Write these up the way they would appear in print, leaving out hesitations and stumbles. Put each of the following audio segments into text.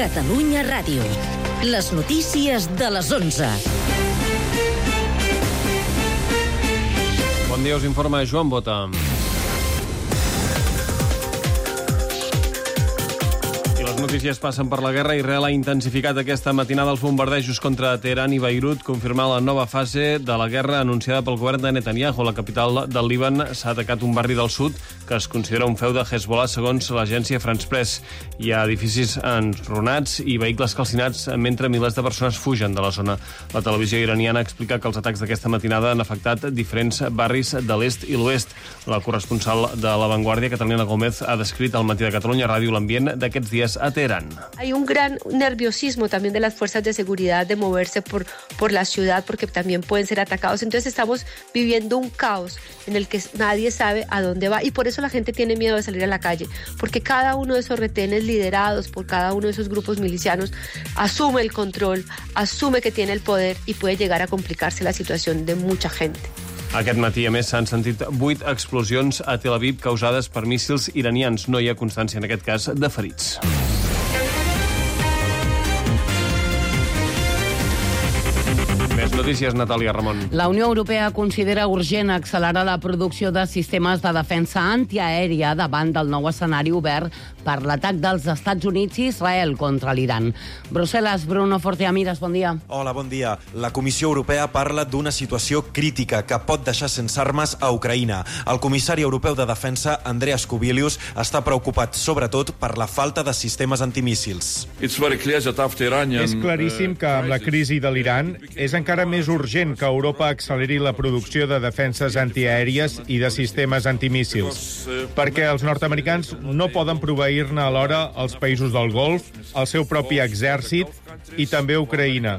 Catalunya Ràdio. Les notícies de les 11. Bon dia, us informa Joan Bota. Les notícies passen per la guerra. Israel ha intensificat aquesta matinada els bombardejos contra Teheran i Beirut, confirmant la nova fase de la guerra anunciada pel govern de Netanyahu. La capital del Líban s'ha atacat un barri del sud que es considera un feu de Hezbollah, segons l'agència France Press. Hi ha edificis enrunats i vehicles calcinats mentre milers de persones fugen de la zona. La televisió iraniana explica que els atacs d'aquesta matinada han afectat diferents barris de l'est i l'oest. La corresponsal de La Vanguardia, Catalina Gómez, ha descrit al Matí de Catalunya Ràdio l'ambient d'aquests dies a Teherán. Hay un gran nerviosismo también de las fuerzas de seguridad de moverse por la ciudad porque también pueden ser atacados. Entonces estamos viviendo un caos en el que nadie sabe a dónde va y por eso la gente tiene miedo de salir a la calle, porque cada uno de esos retenes liderados por cada uno de esos grupos milicianos asume el control, asume que tiene el poder y puede llegar a complicarse la situación de mucha gente. Aquest matí, a més, s'han sentit 8 explosions a Tel Aviv causades per míssils iranians. No hi ha constància, en aquest cas, de ferits. Més notícies, Natàlia Ramon. La Unió Europea considera urgent accelerar la producció de sistemes de defensa antiaèria davant del nou escenari obert per l'atac dels Estats Units i Israel contra l'Iran. Brussel·les, Bruno Forteamiras, bon dia. Hola, bon dia. La Comissió Europea parla d'una situació crítica que pot deixar sense armes a Ucraïna. El comissari europeu de defensa, Andreas Kubilius, està preocupat sobretot per la falta de sistemes antimíssils. És claríssim que amb la crisi de l'Iran és encara més urgent que Europa acceleri la producció de defenses antiaèries i de sistemes antimíssils, perquè els nord-americans no poden proveir-ne alhora als països del Golf, el seu propi exèrcit i també Ucraïna.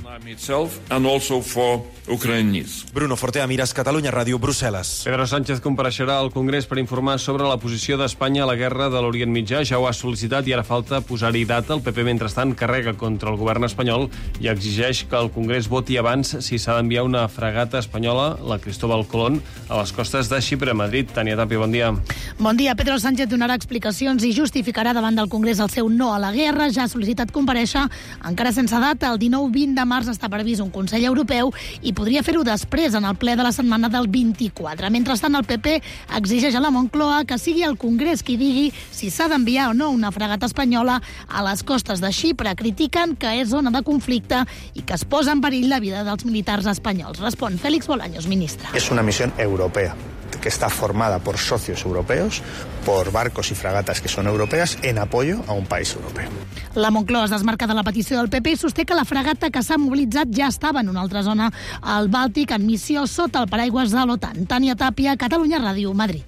Bruno Forteamiras, Catalunya Ràdio, Brussel·les. Pedro Sánchez compareixerà al Congrés per informar sobre la posició d'Espanya a la guerra de l'Orient Mitjà. Ja ho ha sol·licitat i ara falta posar-hi data. El PP, mentrestant, carrega contra el govern espanyol i exigeix que el Congrés voti abans si s'ha d'enviar una fragata espanyola, la Cristóbal Colón, a les costes de Xipre, Madrid. Tània Tapia, bon dia. Bon dia. Pedro Sánchez donarà explicacions i justificarà davant del Congrés el seu no a la guerra. Ja ha sol·licitat comparèixer, encara sense data. El 19-20 de març està previst un Consell Europeu i podria fer-ho després, en el ple de la setmana del 24. Mentrestant, el PP exigeix a la Moncloa que sigui el Congrés qui digui si s'ha d'enviar o no una fragata espanyola a les costes de Xipre. Critiquen que és zona de conflicte i que es posa en perill la vida dels militars espanyols. Respon Félix Bolaños, ministre. Es una misión europea que está formada por socios europeos, por barcos y fragatas que son europeas, en apoyo a un país europeo. La Moncloa es desmarca de la petició del PP i sosté que la fragata que s'ha mobilitzat ja estava en una altra zona al Bàltic en missió sota el paraigües de l'OTAN. Tània Tàpia, Catalunya Ràdio, Madrid.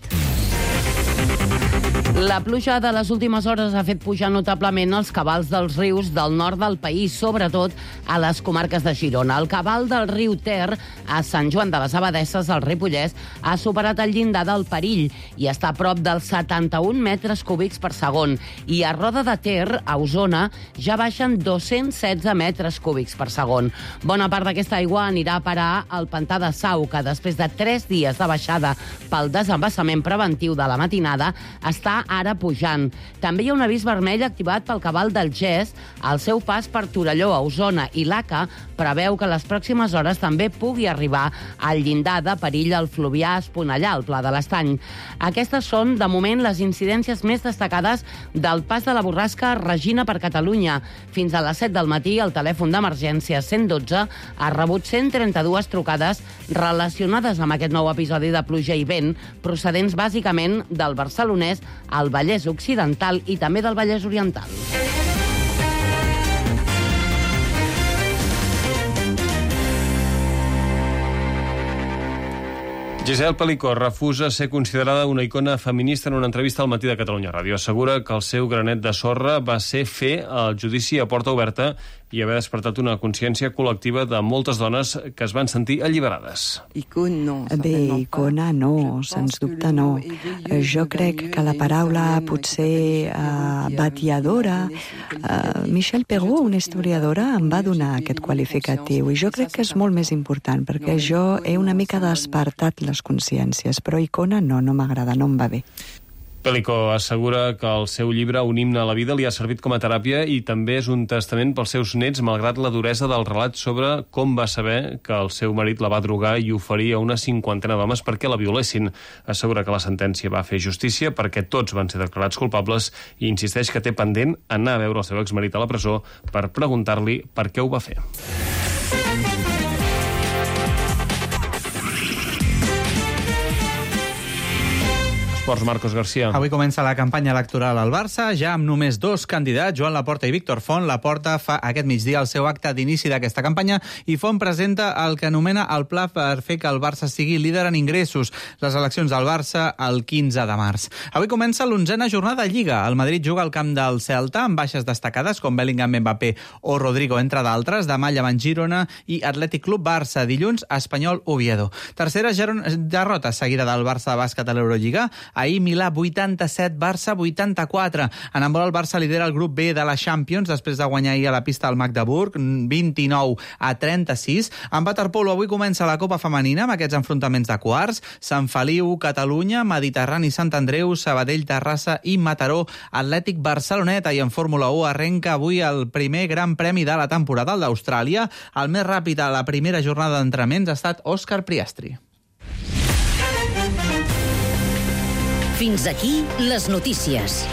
La pluja de les últimes hores ha fet pujar notablement els cabals dels rius del nord del país, sobretot a les comarques de Girona. El cabal del riu Ter, a Sant Joan de les Abadesses, al Ripollès, ha superat el llindar del perill i està a prop dels 71 metres cúbics per segon. I a Roda de Ter, a Osona, ja baixen 216 metres cúbics per segon. Bona part d'aquesta aigua anirà a parar al pantà de Sau, que després de 3 dies de baixada pel desembassament preventiu de la matinada, està ara pujant. També hi ha un avís vermell activat pel cabal del Gès al seu pas per Torelló, a Osona, i l'ACA preveu que les pròximes hores també pugui arribar al llindar de perill al Fluvià Esponellà, al Pla de l'Estany. Aquestes són, de moment, les incidències més destacades del pas de la borrasca Regina per Catalunya. Fins a les 7 del matí, el telèfon d'emergència 112 ha rebut 132 trucades relacionades amb aquest nou episodi de pluja i vent, procedents bàsicament del Barcelonès, al Vallès Occidental i també del Vallès Oriental. Giselle Pelicó refusa ser considerada una icona feminista en una entrevista al Matí de Catalunya Ràdio. Assegura que el seu granet de sorra va ser fer el judici a porta oberta i haver despertat una consciència col·lectiva de moltes dones que es van sentir alliberades. Bé, icona no, sens dubte no. Jo crec que la paraula potser batiadora, Michelle Perrault, una historiadora, em va donar aquest qualificatiu i jo crec que és molt més important perquè jo he una mica despertat les consciències, però icona no m'agrada, no em va bé. Pellico assegura que el seu llibre Un himne a la vida li ha servit com a teràpia i també és un testament pels seus nets, malgrat la duresa del relat sobre com va saber que el seu marit la va drogar i oferir a una 50 d'homes perquè la violessin. Assegura que la sentència va fer justícia perquè tots van ser declarats culpables i insisteix que té pendent anar a veure el seu exmarit a la presó per preguntar-li per què ho va fer. Esports, Marcos García. Avui comença la campanya electoral al Barça, ja amb només 2 candidats, Joan Laporta i Víctor Font. Laporta fa aquest migdia el seu acte d'inici d'aquesta campanya i Font presenta el que anomena el pla per fer que el Barça sigui líder en ingressos. Les eleccions del Barça el 15 de març. Avui comença l'11a jornada de Lliga. El Madrid juga al camp del Celta amb baixes destacades com Bellingham, Mbappé o Rodrigo, entre d'altres. Demà llevant Girona i Atlètic Club Barça. Dilluns, Espanyol Oviedo. Tercera derrota seguida del Barça de bàsquet a l'Eurolliga. Ahir Milà 87, Barça 84. En handbol el Barça lidera el grup B de la Champions després de guanyar ahir a la pista al Magdeburg 29-36. En waterpolo avui comença la Copa Femenina amb aquests enfrontaments de quarts. Sant Feliu, Catalunya, Mediterrani, Sant Andreu, Sabadell, Terrassa i Mataró, Atlètic Barceloneta. I en Fórmula 1 arrenca avui el primer gran premi de la temporada, el d'Austràlia. El més ràpid a la primera jornada d'entrenaments ha estat Òscar Priastri. Fins aquí les notícies.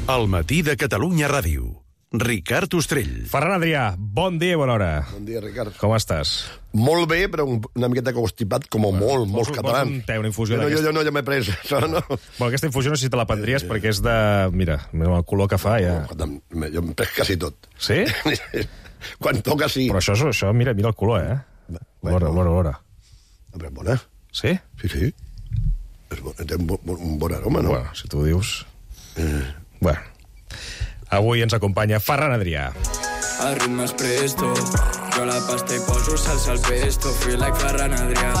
El matí de Catalunya Ràdio. Ricard Ostrell. Ferran Adrià, bon dia i bona hora. Bon dia, Ricard. Com estàs? Molt bé, però una miqueta constipat, com molts catalans. Un té, una infusió d'aquesta. Jo no, ja m'he pres. No. Bueno, aquesta infusió no sé si te la prendries perquè és de... Mira, el color que fa ja... Jo em pres quasi tot. Sí? Quan toca, sí. Però això mira el color, L'hora. Però és bona. Sí? Sí. Té un bon aroma, no? Bueno, si tu ho dius... Bueno. Avui ens acompanya Ferran Adrià. El ritme és presto, jo la pasta i poso salsa al pesto. Feel like Ferran Adrià.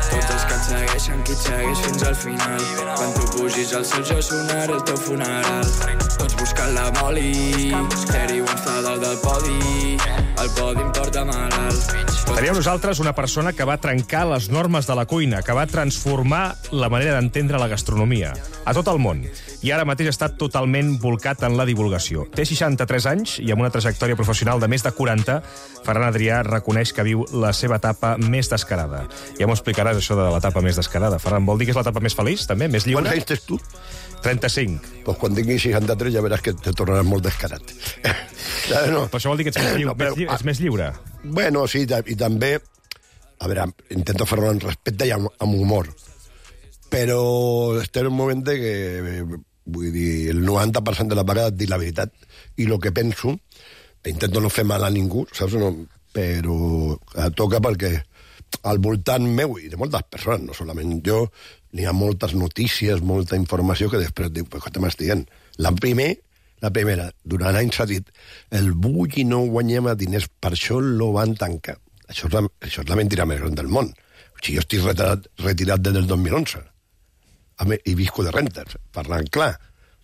Tots els que et segueixen, qui et segueix fins al final. Quan tu pugis al cel jo sonaré el teu funeral. Tots buscant la moli, Terry Wons fa dalt del podi. El podi em porta malalt. Teníem nosaltres una persona que va trencar les normes de la cuina, que va transformar la manera d'entendre la gastronomia a tot el món. I ara mateix està totalment volcat en la divulgació. Té 63 anys i amb una trajectòria professional de més de 40, Ferran Adrià reconeix que viu la seva etapa més descarada. Ja m'ho explicaràs, això de l'etapa més descarada. Ferran, vol dir que és l'etapa més feliç, també? Més lliure? Quants anys tens tu? 35. Pues quan tinguis 63 ja veràs que te tornaràs molt descarat. No. Però això vol dir que ets més lliure. Ets més lliure. Bueno, sí, i també... A veure, intento fer-ho amb respecte i amb humor. Però estem en un moment que... Vull dir, el 90% de la vegades dic la veritat. I el que penso, intento no fer mal a ningú, saps? No, però toca perquè al voltant meu i de moltes persones, no solament jo, n'hi ha moltes notícies, molta informació que després diu, però què m'estic dient? La primera, durant anys s'ha dit el Bulli no guanyem diners, per això lo van tancar. Això és la mentira més gran del món. O sigui, jo estic retirat des del 2011 i visco de rentes, parlant clar.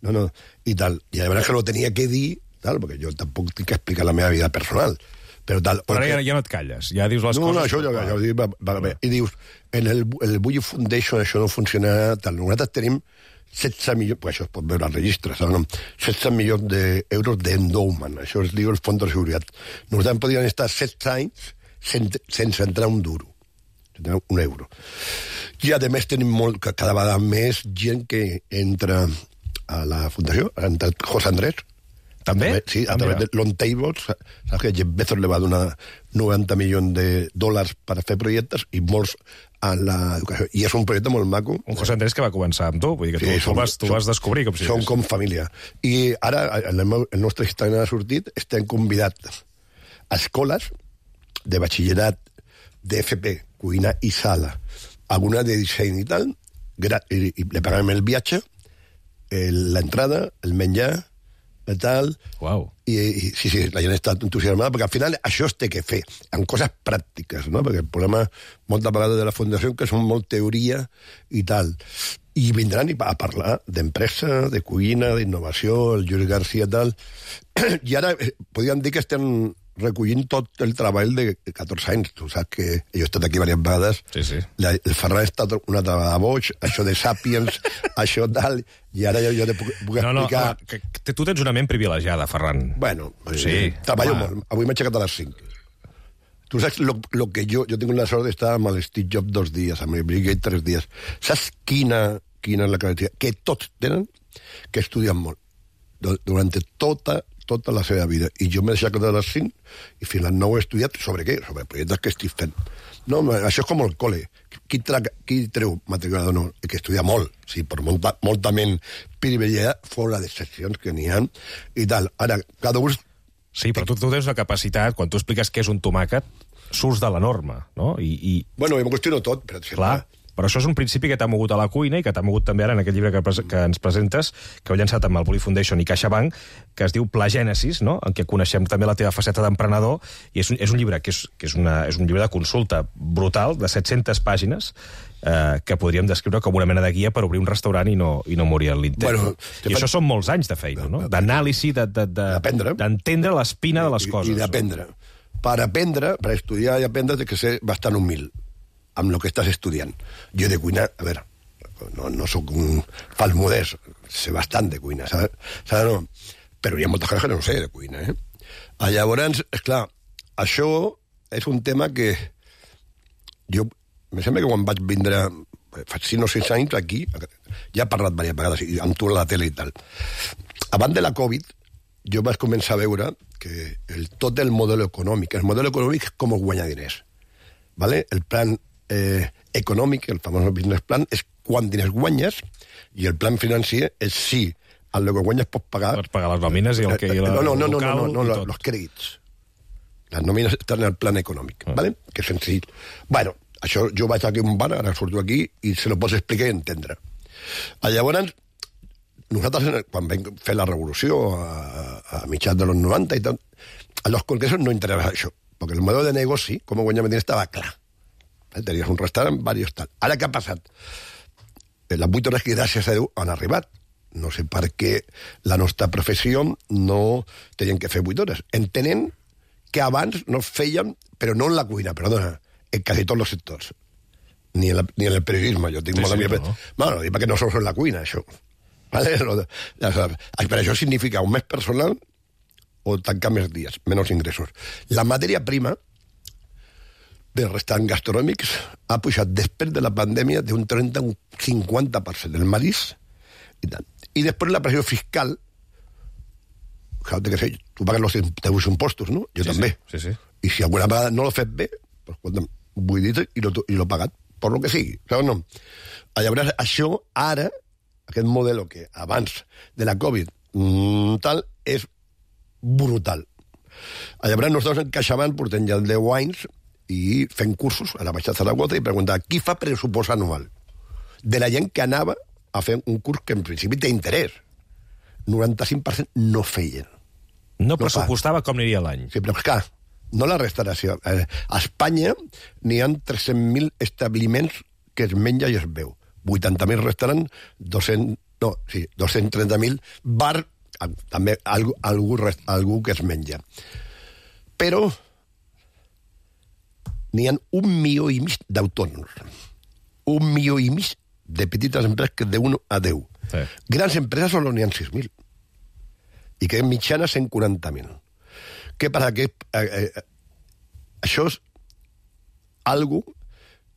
No, i tal. I la veritat que lo tenia que dir, tal, perquè jo tampoc tinc que explicar la meva vida personal. Però ara ja no et calles, ja dius les coses... No, això jo dic, i dius, en el Bulli Foundation això no funciona tal. Nosaltres tenim 16 milions, això es pot veure al registre, 16 milions d'euros d'endowment, això es diu el fons de seguretat. Nosaltres podríem estar 16 anys sense entrar un duro, un euro. I a més tenim cada vegada més gent que entra a la fundació, ha entrat José Andrés. També? Sí, a través de Long Tables, saps que Jeff Bezos le va donar 90 milions de dòlars per fer projectes i molts a l'educació. I és un projecte molt maco. Un José Andrés que va començar amb tu, vull dir que tu vas descobrir com si som com família. I ara el nostre Instagram ha sortit, estem convidats a escoles de batxillerat, d'FP, cuina i sala, alguna de disseny i tal, i le paguem el viatge, l'entrada, el menjar, i tal. Wow. I sí, la gent està entusiasmada, perquè al final això es té que fer, amb coses pràctiques, no? Perquè el problema moltes vegades de la Fundació que són molt teoria i tal. I vindran a parlar d'empresa, de cuina, d'innovació, el Lluís García, tal. I ara podríem dir que estem recollint tot el treball de 14 anys. Tu saps que jo he estat aquí diverses vegades. Sí. El Ferran ha estat una altra vegada boig, això de Sapiens, això tal, i ara jo te puc explicar... Que tu tens una ment privilegiada, Ferran. Bueno, treballo molt. Avui m'he aixecat a les 5. Tu saps lo que jo tinc la sort d'estar amb el Steve Jobs 2 dies, amb el Bill Gates 3 dies. Saps quina és la característica? Que tots tenen que estudien molt durant tota la seva vida. I jo m'he aixecat a les 5 i fins a les 9 he estudiat sobre què? Sobre projectes que estic fent. No, això és com el col·le. Qui treu material d'honor? Que estudia molt, sí, per molta ment privilegiada, fora de seccions que n'hi ha, i tal. Ara, cada un... Sí, però tu tens la capacitat, quan tu expliques què és un tomàquet, surts de la norma, no? Bueno, jo m'ho qüestiono tot, per exemple. Clar, però això és un principi que t'ha mogut a la cuina i que t'ha mogut també ara en aquest llibre que ens presentes, que heu llançat amb el Bulli Foundation i CaixaBank, que es diu Plagènesis, no? En què coneixem també la teva faceta d'emprenedor, i és un llibre que és un llibre de consulta brutal, de 700 pàgines, que podríem descriure com una mena de guia per obrir un restaurant i no morir en l'intent. Bueno, I això són molts anys de feina, no? D'anàlisi, d'entendre l'espina de les coses. I d'aprendre. Per aprendre, per estudiar i aprendre, has de ser bastant humil amb el que estàs estudiant. Jo de cuina, a veure, no soc un fals modest, sé bastant de cuina, saps? No? Però hi ha moltes coses que no sé de cuina, eh? Llavors, esclar, això és un tema que jo, me sembla que quan vaig vindre, fa 5 o 6 anys aquí, ja he parlat diverses vegades amb tu a la tele i tal. Abans de la Covid, jo vaig començar a veure que tot el model econòmic és com guanyar diners. ¿Vale? El plan econòmic, el famós business plan, és quan diners guanyes, i el plan financer és si el que guanyes pots pagar... Pots pagar les nòmines i el que... No, los crèdits. Les nòmines estan en el plan econòmic, ¿vale? Que és senzill. Bueno, això jo vaig aquí a un bar, ara surto aquí, i se lo pots explicar i entendre. Llavors, nosaltres, quan vam fer la revolució a mitjans dels 90 i tal, a los congressos no interessava això, perquè el model de negoci, com guanyar diners, estava clar. Tenies un restaurant, diversos tal. Ara què ha passat? Les 8 hores que, gràcies a Déu, han arribat. No sé per què la nostra professió no tenien que fer 8 hores. Entenent que abans no feien, però no en la cuina, perdona, en quasi tots els sectors. Ni en el periodisme. Jo tinc molt amics... Bueno, dic perquè no sols en la cuina, això. ¿Vale? Per això significa un més personal o tancar més dies, menys ingressos. La matèria prima dels restaurants gastronòmics ha pujat després de la pandèmia d'un 30 a un 50% del marisc i tant. I després la pressió fiscal, que sé, tu pagues els teus impostos, no? Jo també. Sí. I si alguna vegada no l'ho fet bé, pues, vull dir i l'ho he pagat, per lo que sigui. Saps, no? Llavors, això ara, aquest model que abans de la Covid tal, és brutal. Llavors, nosaltres en CaixaBank portem ja 10 anys i fent cursos a la Baixa Zaragoza i preguntar qui fa pressupost anual de la gent que anava a fer un curs que en principi té interès. 95% no feien. No pressupostava com aniria l'any. Sí, però clar, no la restauració. A Espanya n'hi ha 300.000 establiments que es menja i es veu. 80.000 restaurants, 230.000 bar, també algú que es menja. Però n'hi ha 1,5 milió d'autònoms. 1,5 milió de petites empreses que de 1 a 10. Sí. Grans empreses solo n'hi ha 6.000. I que mitjana 140.000. Què passa? Que això és algo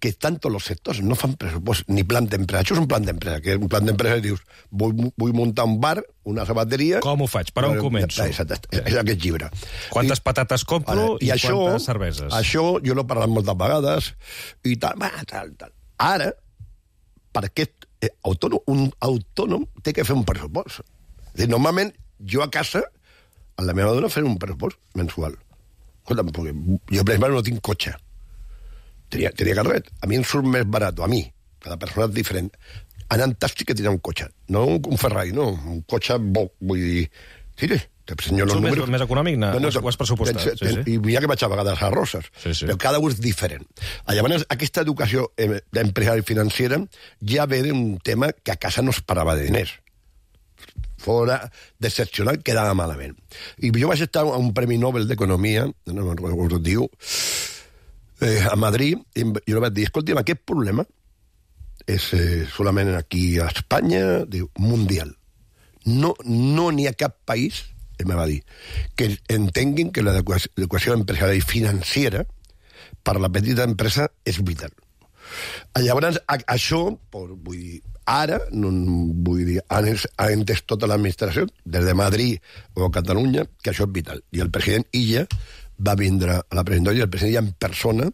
que tant els sectors no fan pressupost ni plan d'empresa. Això és un plan d'empresa, que un plan d'empresa dius, vull muntar un bar, una sabateria... Com ho faig? Per on començo? Exacte, és aquest llibre. Quantes patates compro i quantes cerveses? Això jo l'he parlat moltes vegades i tal. Ara, per aquest un autònom té que fer un pressupost. Normalment, jo a casa, a la meva dona, fer un pressupost mensual. Escolta'm, jo, per exemple, no tinc cotxe. Tenia carret. A mi em surt més barat, a mi. Cada persona és diferent. Anant tàxi que tenia un cotxe. No un Ferrari, no. Un cotxe bo, vull dir... Sí, senyor, els números... més econòmic, ho has pressupostat. I mira que vaig a vegades a Roses. Però cada un és diferent. Llavors, aquesta educació d'empresari financera ja ve d'un tema que a casa no es parava de diners. fora d'excepcional, quedava malament. I jo vaig estar a un Premi Nobel d'Economia, no recordo com es diu, a Madrid, i jo vaig dir, escolta'm, aquest problema és solament aquí a Espanya, diu, mundial. No n'hi ha cap país, em va dir, que entenguin que l'educació empresarial i financera per la petita empresa és vital. Llavors, això, vull dir, ara, vull dir, ha entès tota l'administració, des de Madrid o Catalunya, que això és vital. I el president Illa va vindre a la presentació, i el president Illa en persona,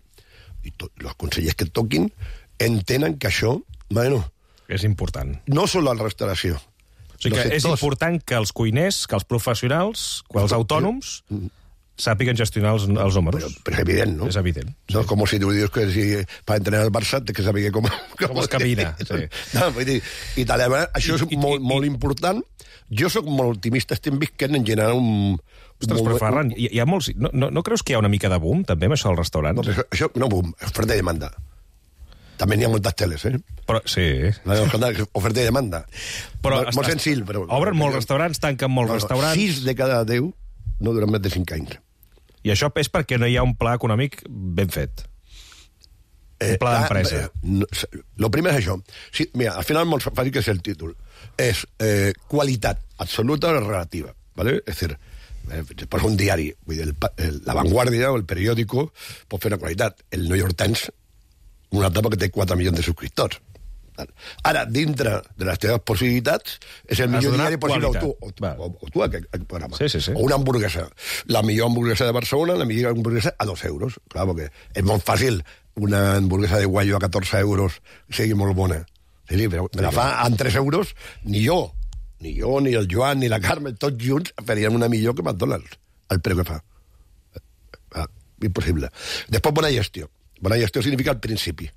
i els consellers que toquin, entenen que això, bueno... És important. No sol la restauració. O sigui que és important que els cuiners, que els professionals, que els autònoms... sàpiguen gestionar els números. Però és evident, no? És evident. No és com si tu dius que per entrenar el Barça té que saber com es camina. Sí. No, vull dir, i tal, això és molt important. Jo sóc molt optimista, estem visquent en general Ostres, però Ferran, hi ha molts... No creus que hi ha una mica de boom, també, amb això als restaurants? No, això no boom, oferta i demanda. També n'hi ha moltes teles, Però, sí. Oferta i demanda. Molt senzill, però... Obren molts restaurants, tanquen molts restaurants... 6 de cada 10 no duren més de 5 anys. I això és perquè no hi ha un pla econòmic ben fet. Un pla d'empresa. Lo primer és això. Sí, mira, al final molt fàcil que és el títol. És qualitat absoluta o relativa. ¿vale? És a dir, per un diari, vull dir, La Vanguardia o el periòdico pot fer una qualitat. El New York Times, una etapa que té 4 milions de subscriptors. Ara, dintre de les teves possibilitats, és el millor diari possible, o tu aquest programa. Sí. O una hamburguesa. La millor hamburguesa de Barcelona, la millor hamburguesa a 2 euros. Clar, perquè és molt fàcil una hamburguesa de guayo a 14 euros sigui molt bona. Sí, però me la fa en 3 euros, ni jo, ni el Joan, ni la Carme, tots junts farien una millor que McDonald's, el preu que fa. Impossible. Després, bona gestió. Bona gestió significa al principi.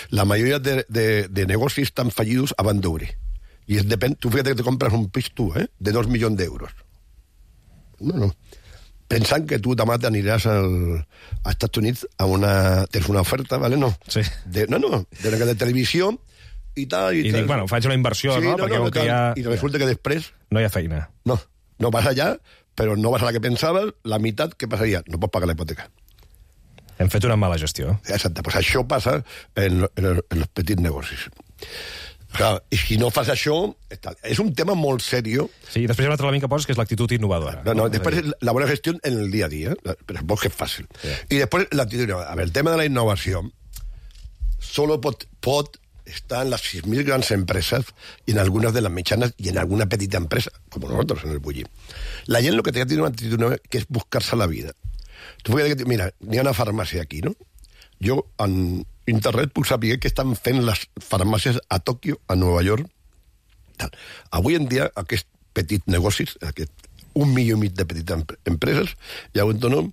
La mayoría de negocios están fallidos abans d'obrir. I depèn, tu fíjate que te compres un pis tu, de 2 milions d'euros. No. Pensant que tu demà t'aniràs als Estats Units tens una oferta, ¿vale? No. Sí. De una televisió i tal. I dic, bueno, faig una inversió, sí, no? Perquè I resulta que després... No hi ha feina. No vas allà, però no vas a la que pensaves, la meitat, què passaria? No pots pagar la hipoteca. Hem fet una mala gestió. Exacte, pues això passa en els petits negocis. I si no fas això, és un tema molt seriós. Sí, i després hi ha un altre element que poses, que és l'actitud innovadora. No, després la bona gestió en el dia a dia, però és que és fàcil. Sí. I després l'actitud innovadora. A veure, el tema de la innovació solo pot estar en les 6.000 grans empreses i en algunes de les mitjanes i en alguna petita empresa, com nosaltres en el Bulli. La gent el que té que tenir una actitud innovadora, que és buscar-se la vida. Mira, n'hi ha una farmàcia aquí, no? Jo, en internet, puc saber què estan fent les farmàcies a Tòquio, a Nova York. Avui en dia, aquests petits negocis, aquest 1,5 milió de petites empreses, i autònom,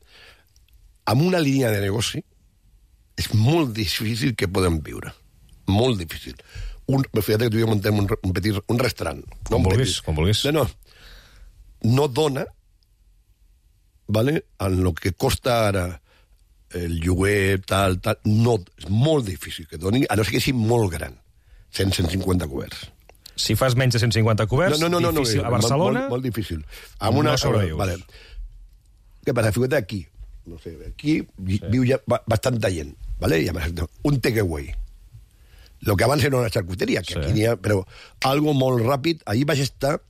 amb una línia de negoci, és molt difícil que podem viure. Molt difícil. Fíjate que tu i jo muntem un restaurant. Com vulguis. No dona, ¿vale? En lo que costa ara el lloguer, tal, no, és molt difícil que doni, a no ser que sigui molt gran, 150 coberts. Si fas menys de 150 coberts, difícil. A Barcelona... Molt difícil. No sobrevius. Vale. Què passa? Fíjate aquí. No sé, aquí viu ja bastanta gent, ¿vale? I a més, un takeaway. Lo que abans era una charcuteria, que aquí n'hi ha, però algo molt ràpid. Ahir vaig estar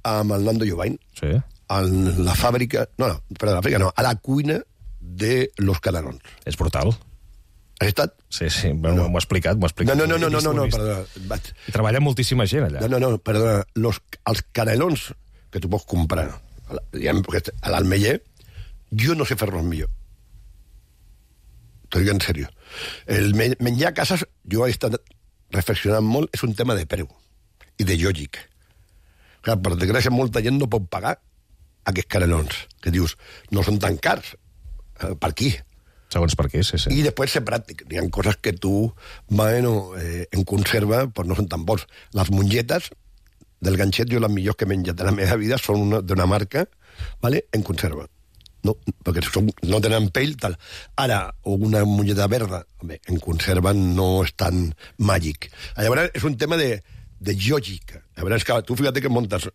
amb el Nando Llobain, en la fàbrica... a la cuina de Los Canelons. És brutal. Has estat? Sí, m'ho ha explicat. No, perdona. I treballa moltíssima gent allà. No, perdona. Els canelons que tu pots comprar a l'Almeller, jo no sé fer-los millor. T'ho dic en sèrio. El menjar a cases, jo he estat reflexionant molt, és un tema de preu i de lògic. Clar, per desgràcia, molta gent no pot pagar aquests canelons, que dius, no són tan cars. Per aquí. Segons per aquí, sí. I després ser pràctic. Hi ha coses que tu, en conserva, pues no són tan bons. Les mongetes del ganxet, jo les millors que he menjat de la meva vida són d'una marca, ¿vale? En conserva. No, perquè no tenen pell, tal. Ara, una mongeta verda, en conserva no és tan màgic. Llavors, és un tema de de lògica. A veure, és que tu fíjate que montes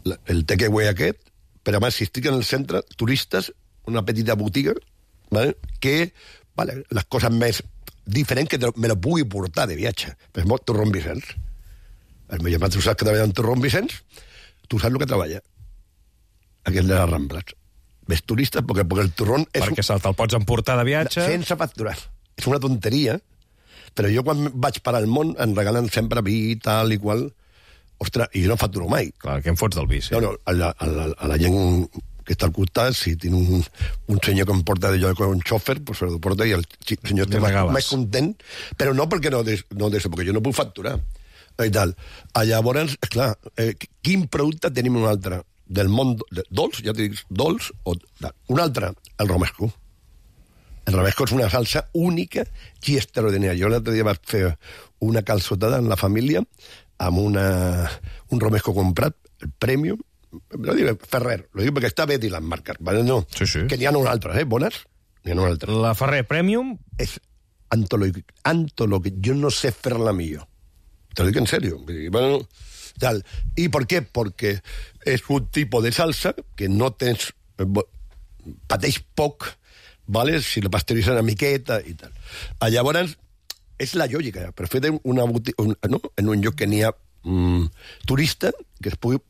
el takeaway aquest, però a més, si estic en el centre, turistes, una petita botiga, ¿vale? Que, vale, les coses més diferents que me lo pugui portar de viatge. Per exemple, Torrón Vicenç. El meu germà, tu saps que treballa en Torrón Vicenç, tu saps el que treballa. Aquest de les Rambles. Ves turistes, perquè el torrón... Perquè te'l pots emportar de viatge... Sense facturar. És una tonteria, però jo quan vaig per al món em regalen sempre vi, tal i qual... Ostres, i jo no facturo mai. Clar, què em fots del vi? Sí. No, a la gent que està al costat, si tinc un senyor que em porta d'allò com un xòfer, pues se lo porta i el senyor està més content, però no perquè no d'això, perquè jo no puc facturar. I tal. Llavors, esclar, quin producte tenim un altre? Del món dolç, ja t'he dit, dolç, o un altre, el romesco. El romesco és una salsa única i extraordinària. Jo l'altre dia vaig fer una calçotada en la família amb un romesco comprat, el Premium, lo digo Ferrer, lo digo perquè està bé dir les marques, ¿vale? No, sí. Que n'hi ha unes altres, bones? N'hi ha unes altres. La Ferrer Premium? És antològic. Jo no sé fer-la millor. Te lo digo en serio. Bueno, tal. ¿Y por qué? Porque es un tipo de salsa que no tens... pateix poc, ¿vale? Si lo pasteuritzen una miqueta i tal. Llavors, és la lògica, però fer una botiga, no? En un lloc que n'hi ha turista, que es pugui...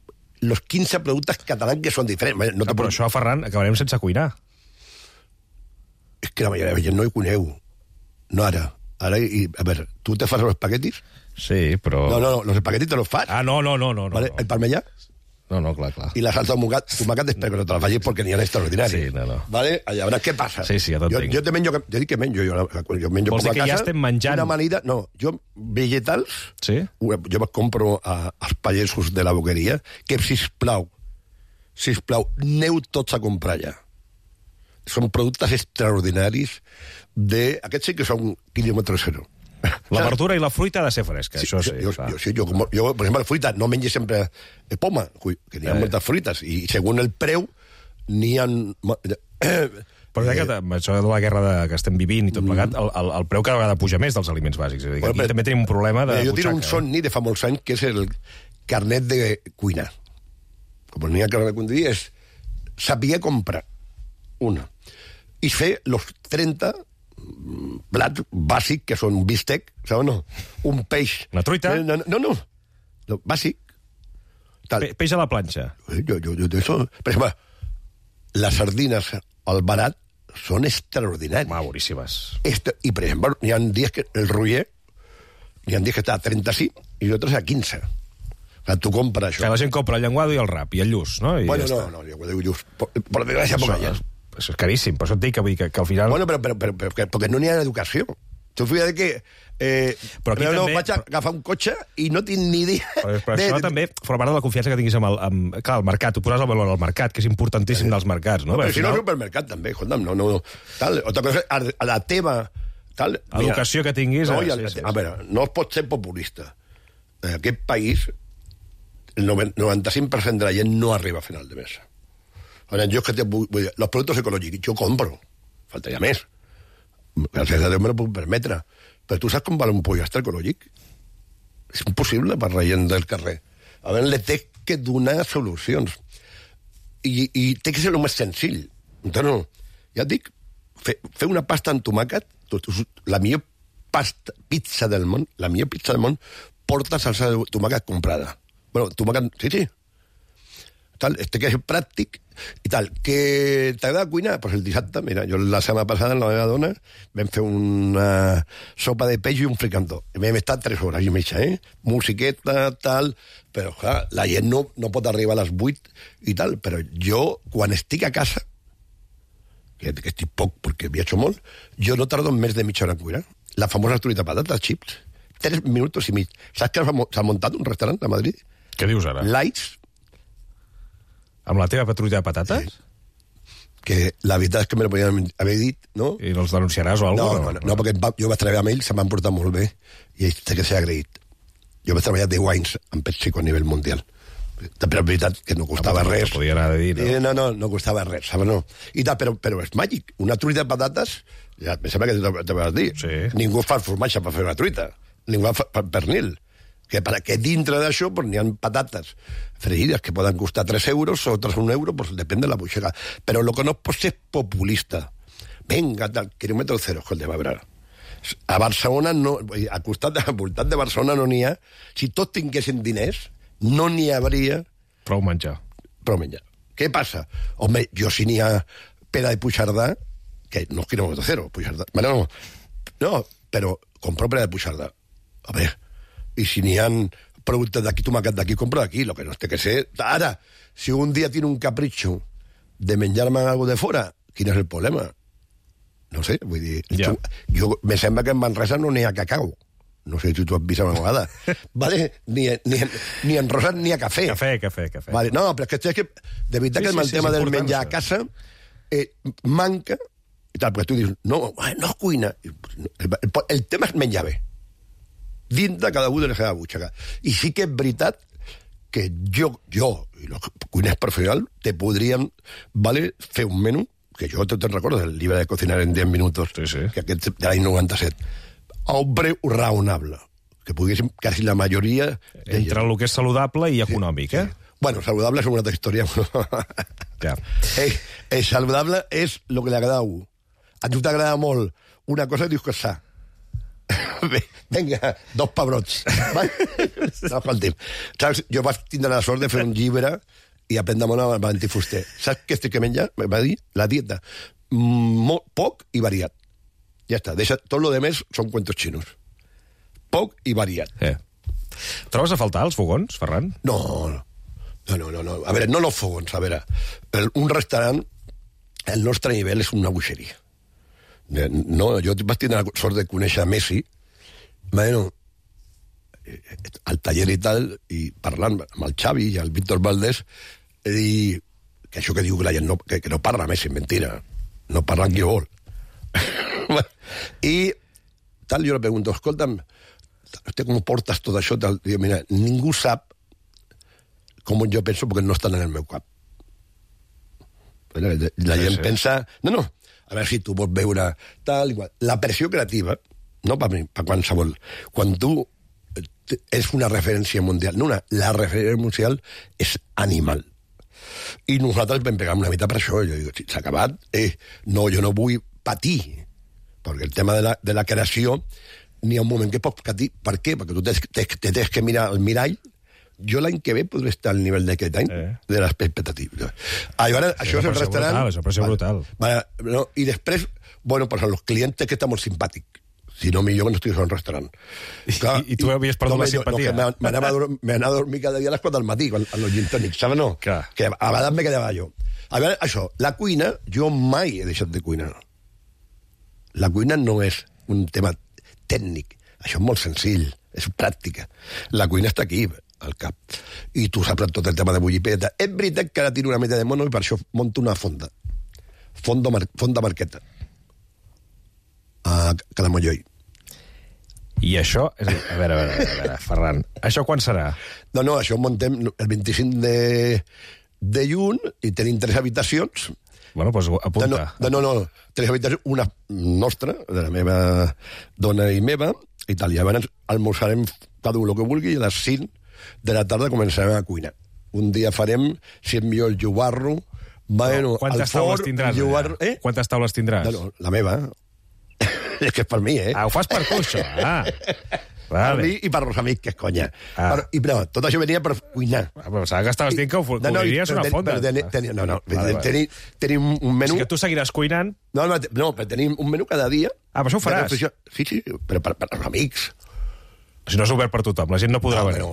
Los 15 productes catalans que són diferents. No, però això, Ferran, acabarem sense cuinar. És que la majoria de gent no hi coneu. No ara. Ara, a veure, tu te fas els espaguetis? Sí, però... No, los espaguetis te los fas. Ah, no. ¿Vale? El parmellà? No, clar. I la salsa de tomàquet espero que no te la facis perquè n'hi ha extraordinaris. Sí, no. ¿Vale? Llavors, què passa? Sí, ja t'entenc. Jo te menjo... Jo dic que menjo. Jo menjo vols dir que casa, ja estem menjant? Una amanida... No, jo vegetals... Sí? Jo me'n compro als pagesos de la boqueria que, sisplau, aneu tots a comprar ja. Són productes extraordinaris de... Aquests sí que són quilòmetre zero. La verdura i la fruita ha de ser fresca, sí, això sí. Jo, per exemple, la fruita no menjo sempre poma, que n'hi ha moltes fruites, i segons el preu n'hi ha... Però que amb això de la guerra que estem vivint i tot plegat, el preu cada vegada puja més dels aliments bàsics. És a dir, aquí també tenim un problema de jo butxaca. tinc un somni de fa molts anys, que és el carnet de cuinar. Com n'hi ha carnet de cuinar, és saber comprar una. I fer los 30 plats bàsic, que són bistec, saps o no? Un peix... Una truita? No, bàsic. Peix a la planxa. Jo, per exemple, les sardines al barat són extraordinàries. Boníssimes. I, per exemple, hi ha dies que el roller, hi ha dies que està a 35 i d'altres a 15. O sigui, tu compres això. Que la gent compra el llenguado i el rap, i el lluç, no? I bueno, no, llenguado i lluç. Per desgràcia, poca gent. És caríssim, per això et dic que al final... Bueno, però perquè no n'hi ha educació. Tu fíjate que... però aquí també... vaig a agafar un cotxe i no tinc ni idea... Però això també forma part de la confiança que tinguis amb... Clar, el mercat, tu poses el valor al mercat, que és importantíssim dels mercats, no? Però si no és supermercat, també, escolta'm, no. Tal, otra cosa, a la teva... Tal, educació que tinguis... No, a veure, no es pot ser populista. En aquest país, el 95% de la gent no arriba a final de mes. Ahora, yo es que los productos ecológicos, yo compro. Faltaria més. Gràcies a Déu me lo puc permetre. Però tu saps com val un pollastre ecològic? És impossible per la gent del carrer. A veure, le té que donar solucions. I té que ser el més senzill. Entonces, ja et dic, fer una pasta amb tomàquet, la millor pizza del món, porta salsa de tomàquet comprada. Bueno, tomàquet, sí. Tal, té que ser pràctic i tal. Que t'agrada cuinar? Pues el dissabte, mira, jo la setmana passada amb la meva dona vam fer una sopa de peix i un fricandó. Vam estar 3 hores i mitja, musiqueta, tal, però clar, la gent no pot arribar a les 8 i tal, però jo, quan estic a casa, que estic poc perquè viatjo molt, jo no tardo més de mitja hora en cuinar. La famosa truita patata, chips, 3 minuts i mig. Saps que s'ha muntat un restaurant a Madrid? Què dius ara? Lights. Amb la teva truita de patates? Sí. Que la veritat és que me lo podien haver dit, no? I els denunciaràs o alguna cosa? No, perquè jo vaig treballar amb ells, se m'han portat molt bé, i ells té que ser agraït. Jo vaig treballar 10 anys en PepsiCo a nivell mundial. Però és veritat que no costava res. Podia anar a dir, no? No costava res, saps? No. I tal, però és màgic. Una truita de patates, ja, em sembla que te vas dir. Sí. Ningú fa el formatge per fer una truita. ningú fa pernil. Que dintre d'això n'hi ha patates fregides que poden costar 3 euros, otras 1 euro, pues depèn de la butxaca. Però el que no pot ser populista. Venga, tal, quilòmetre zero, escolta, a veure. A Barcelona, no, al voltant de Barcelona no n'hi ha. Si tots tinguessin diners, no n'hi hauria... Prou menjar. Què passa? Home, jo si n'hi ha pera de Puigcerdà, que no és quilòmetre zero, Puigcerdà. Bueno, no, però compro pera de Puigcerdà. A veure, i si n'hi ha productes d'aquí, tomàquet d'aquí, compro d'aquí. Lo que no té que ser... Ara, si un dia tinc un capritxo de menjar-me algo de fora, quin és el problema? No sé, vull dir... Ja. Jo me sembla que en Manresa no n'hi ha cacau. No sé si tu has vist una vegada. Vale? Ni en rosat ni a cafè. Cafè. Vale. No, però és que de veritat que el tema del menjar a casa manca, i tal, perquè tu dius, no es cuina. El tema és menjar bé. Dintre cada un de la seva butxaca. I sí que és veritat que jo i els cuiners professionals, te podríem fer un menú, que jo te'n recordo del llibre de Cocinar en 10 minuts, que aquest de l'any 97, a un preu raonable, que poguéssim quasi la majoria... Entre el que és saludable i econòmic, eh? Bueno, saludable és una altra història. Ja. Saludable és el que li agrada a un. A tu t'agrada molt una cosa i dius que és sa. Vinga, 2 pebrots. No, escolti'm. Saps, jo vaig tindre la sort de fer un llibre i aprendre molt amb Valentí Fuster. Saps què estic que menjar? Va dir la dieta. Poc i variat. Ja està. Deixa, tot lo demés són cuentos chinos. Poc i variat. Trobes a faltar els fogons, Ferran? No. A veure, no los fogons. A veure, un restaurant, el nostre nivell és una buixeria. No, jo vaig tenir la sort de conèixer Messi, bueno, al taller i tal, i parlant amb el Xavi i el Víctor Valdés, i que això que diu que la gent que no parla Messi, mentira, no parla qui vol. I tal, jo le pregunto, escolta'm, com portes tot això? Tal? Diu, mira, ningú sap com jo penso perquè no estan en el meu cap. La gent pensa... No, a veure si tu vols veure tal, igual. La pressió creativa, no per mi, per qualsevol. Quan tu és una referència mundial, la referència mundial és animal. I nosaltres vam pegar una mica per això. Jo dic, si s'ha acabat, no, jo no vull patir, perquè el tema de la creació n'hi ha un moment que pots patir. Per què? Perquè tu tens que mirar al mirall. Jo l'any que ve podré estar al nivell d'aquest any de l'expectativa. Això és el restaurant... Això és brutal. No, i després, bueno, pues a los clientes que està molt simpàtic. Si no, millor que no estigués en un restaurant. I tu havies perdut la simpatia? M'anava a dormir cada dia a les 4 del matí, a los gin tònics, saps, no? Que a vegades me quedava jo. A veure, això, la cuina, jo mai he deixat de cuinar. La cuina no és un tema tècnic. Això és molt senzill, és pràctica. La cuina està aquí, al cap. I tu saps tot el tema de bullipeta. És veritat que ara tiro una mica de mono i per això monto una fonda. Fonda Marqueta. A Calamolloi. I això... A veure, Ferran, això quan serà? No, això ho montem el 25 de juny i tenim 3 habitacions. Bueno, doncs apunta. No, 3 habitacions, una nostra, de la meva dona i meva, i tal. I llavors almorzarem cada un el que vulgui i a les 5 de la tarda començarem a cuinar. Un dia farem, si és millor, el jugarro, bueno, quantes taules tindràs? Quantes taules tindràs? No, la meva. És que és per mi, ho fas per tu, això. Per mi i per els amics, que és conya. Però tot això venia per cuinar. Però saps que estaves dient que obriries una fonda. Tenim un menú... O sigui que tu seguiràs cuinant... No, però tenim un menú cada dia. Però això ho faràs? Sí, però per els amics. Si no és obert per tothom, la gent no podrà venir.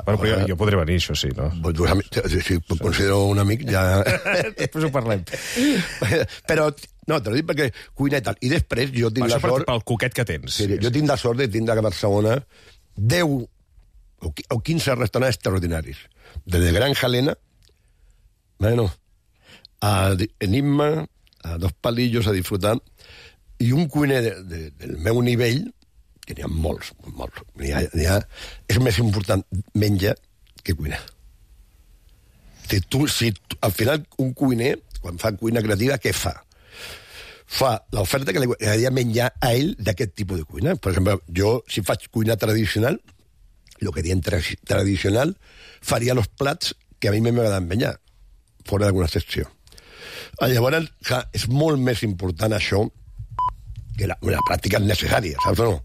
Però jo podré venir, això sí, no? Si considero un amic, ja... Després ho parlem. Però, no, te lo dic perquè cuina i tal. I després jo tinc la sort... Pel coquet que tens. Jo tinc la sort de tindre a Barcelona 10 o 15 restaurants extraordinaris. Desde Granja Elena, bueno, a Enigma, a Dos Palillos, a Disfrutar, i un cuiner del meu nivell, que n'hi ha molts. És més important menjar que cuinar. Si al final un cuiner, quan fa cuina creativa, què fa? fa l'oferta que li agradaria menjar a ell d'aquest tipus de cuina. Per exemple, jo, si faig cuina tradicional, el que diem tradicional, faria els plats que a mi m'agraden menjar, fora d'alguna excepció. Llavors, és molt més important això que la pràctica és necessària, saps o no?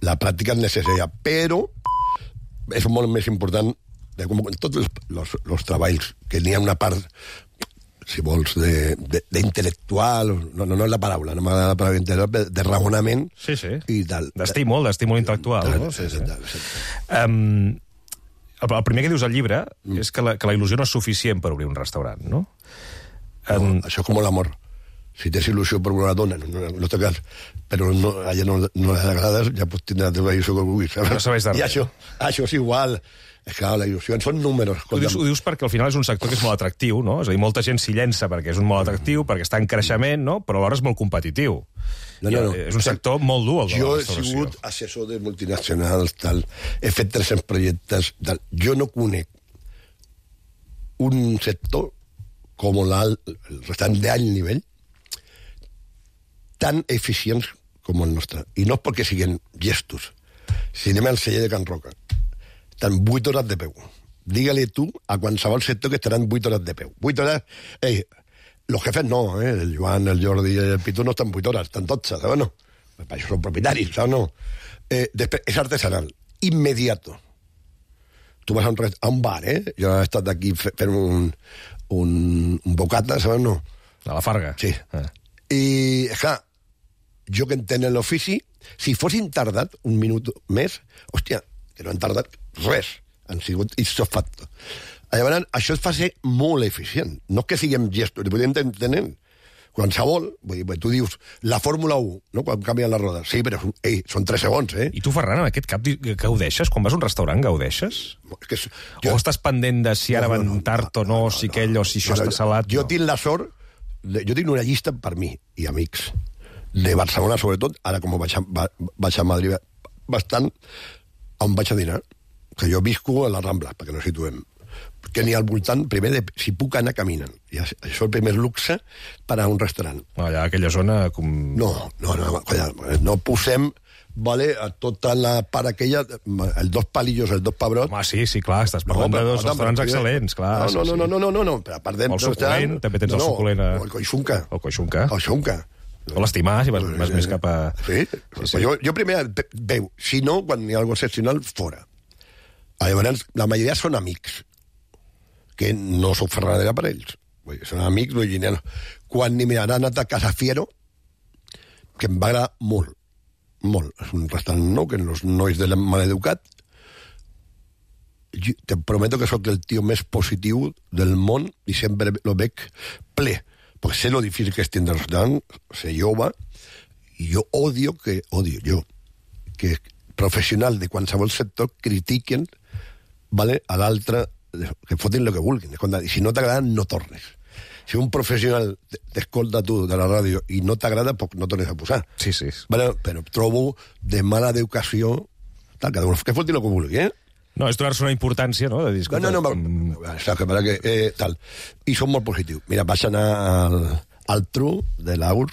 La pràctica és necessària, però és molt més important, com en tots els treballs, que n'hi ha una part, si vols, d'intel·lectual, no és la paraula, no m'agrada la paraula intel·lectual, de raonament i tal. D'estímul intel·lectual, no? Sí. El primer que dius al llibre és que la il·lusió no és suficient per obrir un restaurant, no? Això és com l'amor. Si tens il·lusió per una dona, no té cas, però a ella no li agrades, ja pots tindre la teva il·lusió que vulguis. No sabeix de res. I això és igual. És que la il·lusió són números. Ho dius perquè al final és un sector que és molt atractiu, no? És a dir, molta gent s'hi llença perquè és un molt atractiu, perquè està en creixement, no? Però alhora és molt competitiu. No. És un sector molt dur, el de la restauració. Jo he sigut assessor de multinacionals, tal. He fet 300 projectes, tal. Jo no conec un sector com el restaurant d'alt nivell tan eficients com el nostre. I no és perquè siguin gestos. Si anem al celler de Can Roca, estan 8 hores de peu. Digue-li tu a qualsevol sector que estaran 8 hores de peu. 8 hores... Los jefes no, el Joan, el Jordi i el Pitu no estan 8 hores, estan 12, saps no? Per això són propietaris, saps no? Després, és artesanal, immediato. Tu vas a un bar, Jo he estat aquí fent un bocata, saps no? A la Farga. Sí. I, clar, jo que entenc l'ofici, si fossin tardat un minut més, hòstia, que no han tardat res, han sigut ipso facto. Llavors, això es fa ser molt eficient. No és que siguem gestos, ho podem entendre. Qualsevol, vull dir, tu dius, la Fórmula 1, no? Quan canvien les rodes. Sí, però són 3 segons, I tu, Ferran, en aquest cap gaudeixes? Quan vas a un restaurant, gaudeixes? O estàs pendent de si ara van tard o no, si aquell o si això està salat? Jo tinc la sort, jo tinc una llista per mi i amics, de Barcelona sobretot, ara com vaig a Madrid bastant, on vaig a dinar, que jo visco a la Rambla, perquè no situem, que n'hi ha al voltant, primer, de si puc anar caminant. I això és el primer luxe per a un restaurant. Allà, a aquella zona... No posem, vale, a tota la part aquella, els 2 palillos, els 2 pebrots... Home, sí, clar, estàs parlant de 2 restaurants excel·lents, clar. No, però a part de... El suculent, també tens el suculent... El coixunca. El coixunca. O l'estimar, si vas més cap a... Sí. Jo primer veu, si no, quan hi ha alguna excepcional, fora. Llavors, la majoria són amics, que no sóc ferradera per ells. Són amics, quan m'he anat a Casa Fiero, que em va agradar molt, molt. És un restaurant nou, que els nois de maleducat, te prometo que sóc el tio més positiu del món i sempre lo veig ple. Perquè sé lo difícil que és tindre el restaurant, sé jove, i jo odio que professionals de qualsevol sector critiquen, vale, a l'altre, que fotin el que vulguin. I si no t'agrada, no tornes. Si un professional t'escolta tu de la ràdio i no t'agrada, no tornes a posar. Sí. Vale, però trobo de mala educació... Que fotin el que vulgui, No, és donar-se una importància, no? De dir, tal. I són molt positius. Mira, vaig anar al Tru de l'Aur.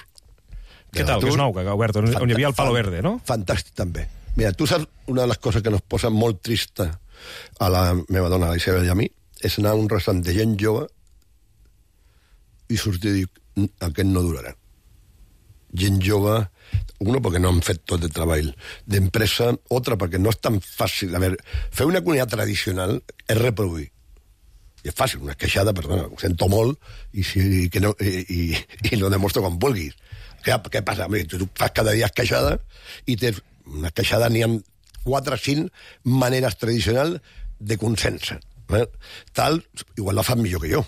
Què tal? Que és nou, que ha obert, on hi havia el Palo Verde, no? Fantàstic, també. Mira, tu saps una de les coses que nos posa molt trista a la meva dona, a la Isabel i a mi, és anar a un restaurant de gent jove i sortir i dir, aquest no durarà. Gent jove, uno perquè no han fet tot el treball d'empresa, otra perquè no és tan fàcil. A veure, fer una cuina tradicional és reproduir. I és fàcil, una queixada, perdona, ho sento molt, i lo demostro quan vulguis. Què passa? Tu fas cada dia queixada i tens una queixada, n'hi ha 4 o 5 maneres tradicionals de consens. Tal, igual la fan millor que jo.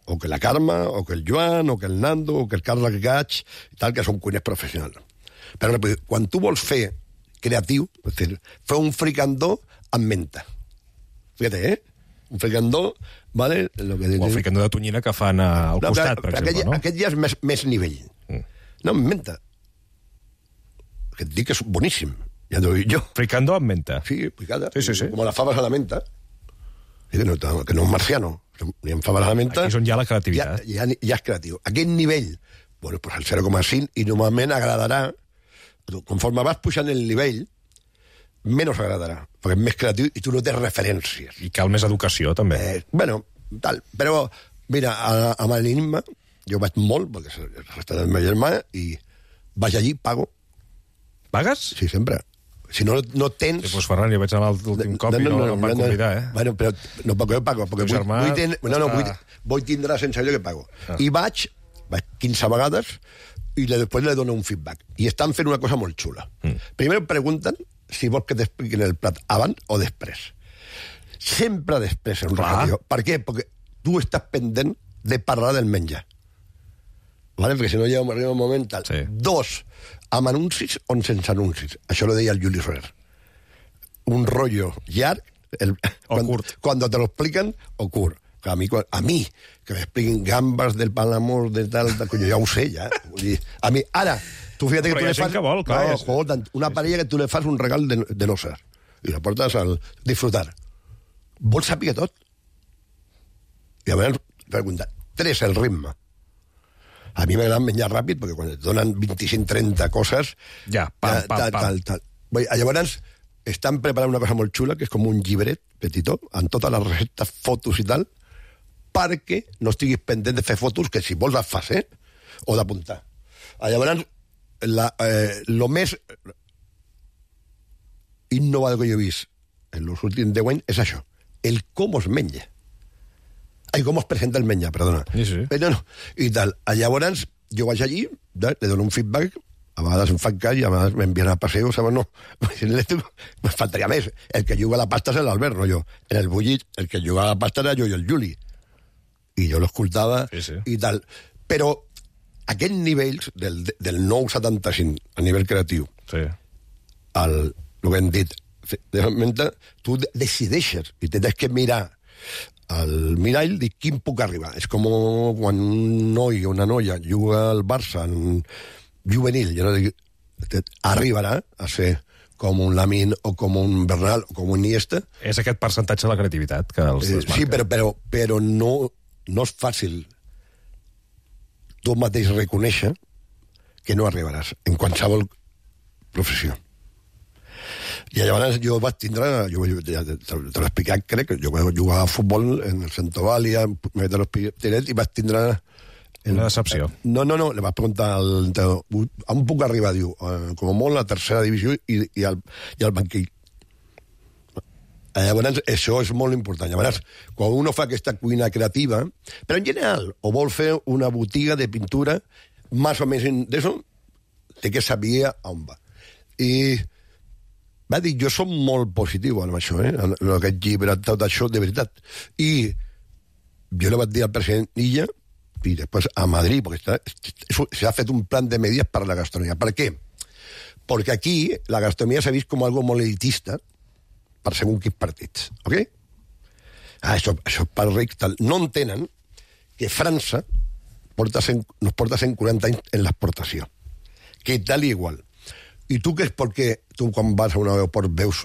O que la Carme, o que el Joan, o que el Nando, o que el Carles Gach, tal, que són cuiners professionals. Però quan tu vols fer creatiu, és a dir, fer un fricandó amb menta. Fíjate, un fricandó, ¿vale? O el fricandó de tonyina que fan al costat, per exemple, no? Aquest ja és més nivell. No, amb menta. Que et dic que és boníssim. Ja t'ho dic jo. Fricandó amb menta. Sí, picada. Sí. Com las fabas a la menta. Que no és marciano. Ni en fabas a la menta. Aquí és on hi ha la creativitat. Ja és creatiu. Aquest nivell Bueno, pues el 0,5, i normalment agradarà, conforme vas pujant el nivell, menys agradarà, perquè és més creatiu i tu no tens referències. I cal més educació, també. Bueno, tal, però, mira, amb l'Enigma, jo vaig molt, perquè és el restaurant del meu germà, i vaig allí, pago. Pagues? Sí, sempre. Si no tens... Sí, doncs, Ferran, jo vaig anar l'últim cop i no em van convidar, Bueno, però no pago, perquè vull tindre la sensació que pago. I vaig 15 vegades i després le dono un feedback. I estan fent una cosa molt xula. Primer em pregunten si vols que t'expliquin el plat abans o després. Sempre després en un restaurant. Per què? Perquè tu estàs pendent de parlar del menjar. Vale? Perquè si no arriba un moment tal. Sí. 2, amb anuncis o sense anuncis. Això lo deia el Juli Soler. Un rollo llarg, quan te lo expliquen, o curt. A mi, que m'expliquin gambes del Palamós, de tal, jo ja ho sé, ja. A mi, ara, tu fíjate que tu le fas... Que vol, clar, una parella que tu le fas un regal de noces i la portes al disfrutar. Vols saber tot? I a veure, pregunta, 3, el ritme. A mi m'agrada menjar ràpid, perquè quan et donen 25-30 coses... Ja, pam. Llavors, estan preparant una cosa molt xula, que és com un llibret petitó, amb totes les receptes, fotos i tal, perquè no estiguis pendent de fer fotos, que si vols les fas, o d'apuntar. Llavors, lo més innovador que jo he vist en els últims 10 anys és això, el com es menja. Com es presenta el menjar, perdona. Sí. Però no, i tal. Llavors, jo vaig allí, le dono un feedback, a vegades em fan cas i a vegades m'envien a paseo, saps? No, me faltaria més. El que juga a la pasta és l'Albert, no jo. En el bullit, el que juga a la pasta era jo i el Juli. I jo l'escoltava i tal. Però aquests nivells del 9,75 a nivell creatiu, el que hem dit, tu decideixes i tens que mirar al mirall, dic, quin puc arribar? És com quan un noi o una noia juga al Barça en juvenil, jo no dic, arribarà a ser com un Lamine o com un Bernal o com un Iniesta. És aquest percentatge de la creativitat que els desmarca. Sí, però no és fàcil tu mateix reconèixer que no arribaràs en qualsevol professió. I llavors jo vaig tindre, ja te l'he explicat, crec, que jo vaig jugar a futbol en el Centovàlia, i vaig tindre... Una decepció. No, li vaig preguntar on puc arribar, diu, com a molt a la tercera divisió i al banquil. Llavors, això és molt important. Llavors, quan uno fa aquesta cuina creativa, però en general, o vol fer una botiga de pintura, més o més d'això, té que saber on va. I va dir, jo som molt positiu amb això, en aquest llibre, tot això, de veritat. I jo li vaig dir al president Illa, i després a Madrid, perquè s'ha fet un plan de medidas per la gastronomia. Per què? Perquè aquí la gastronomia s'ha vist com algo molt elitista per segons quins partits, ok? Això és per rics, tal. No entenen que França nos porta 140 anys en l'exportació. Que tal i igual. I tu què és perquè tu quan vas a un aeroport veus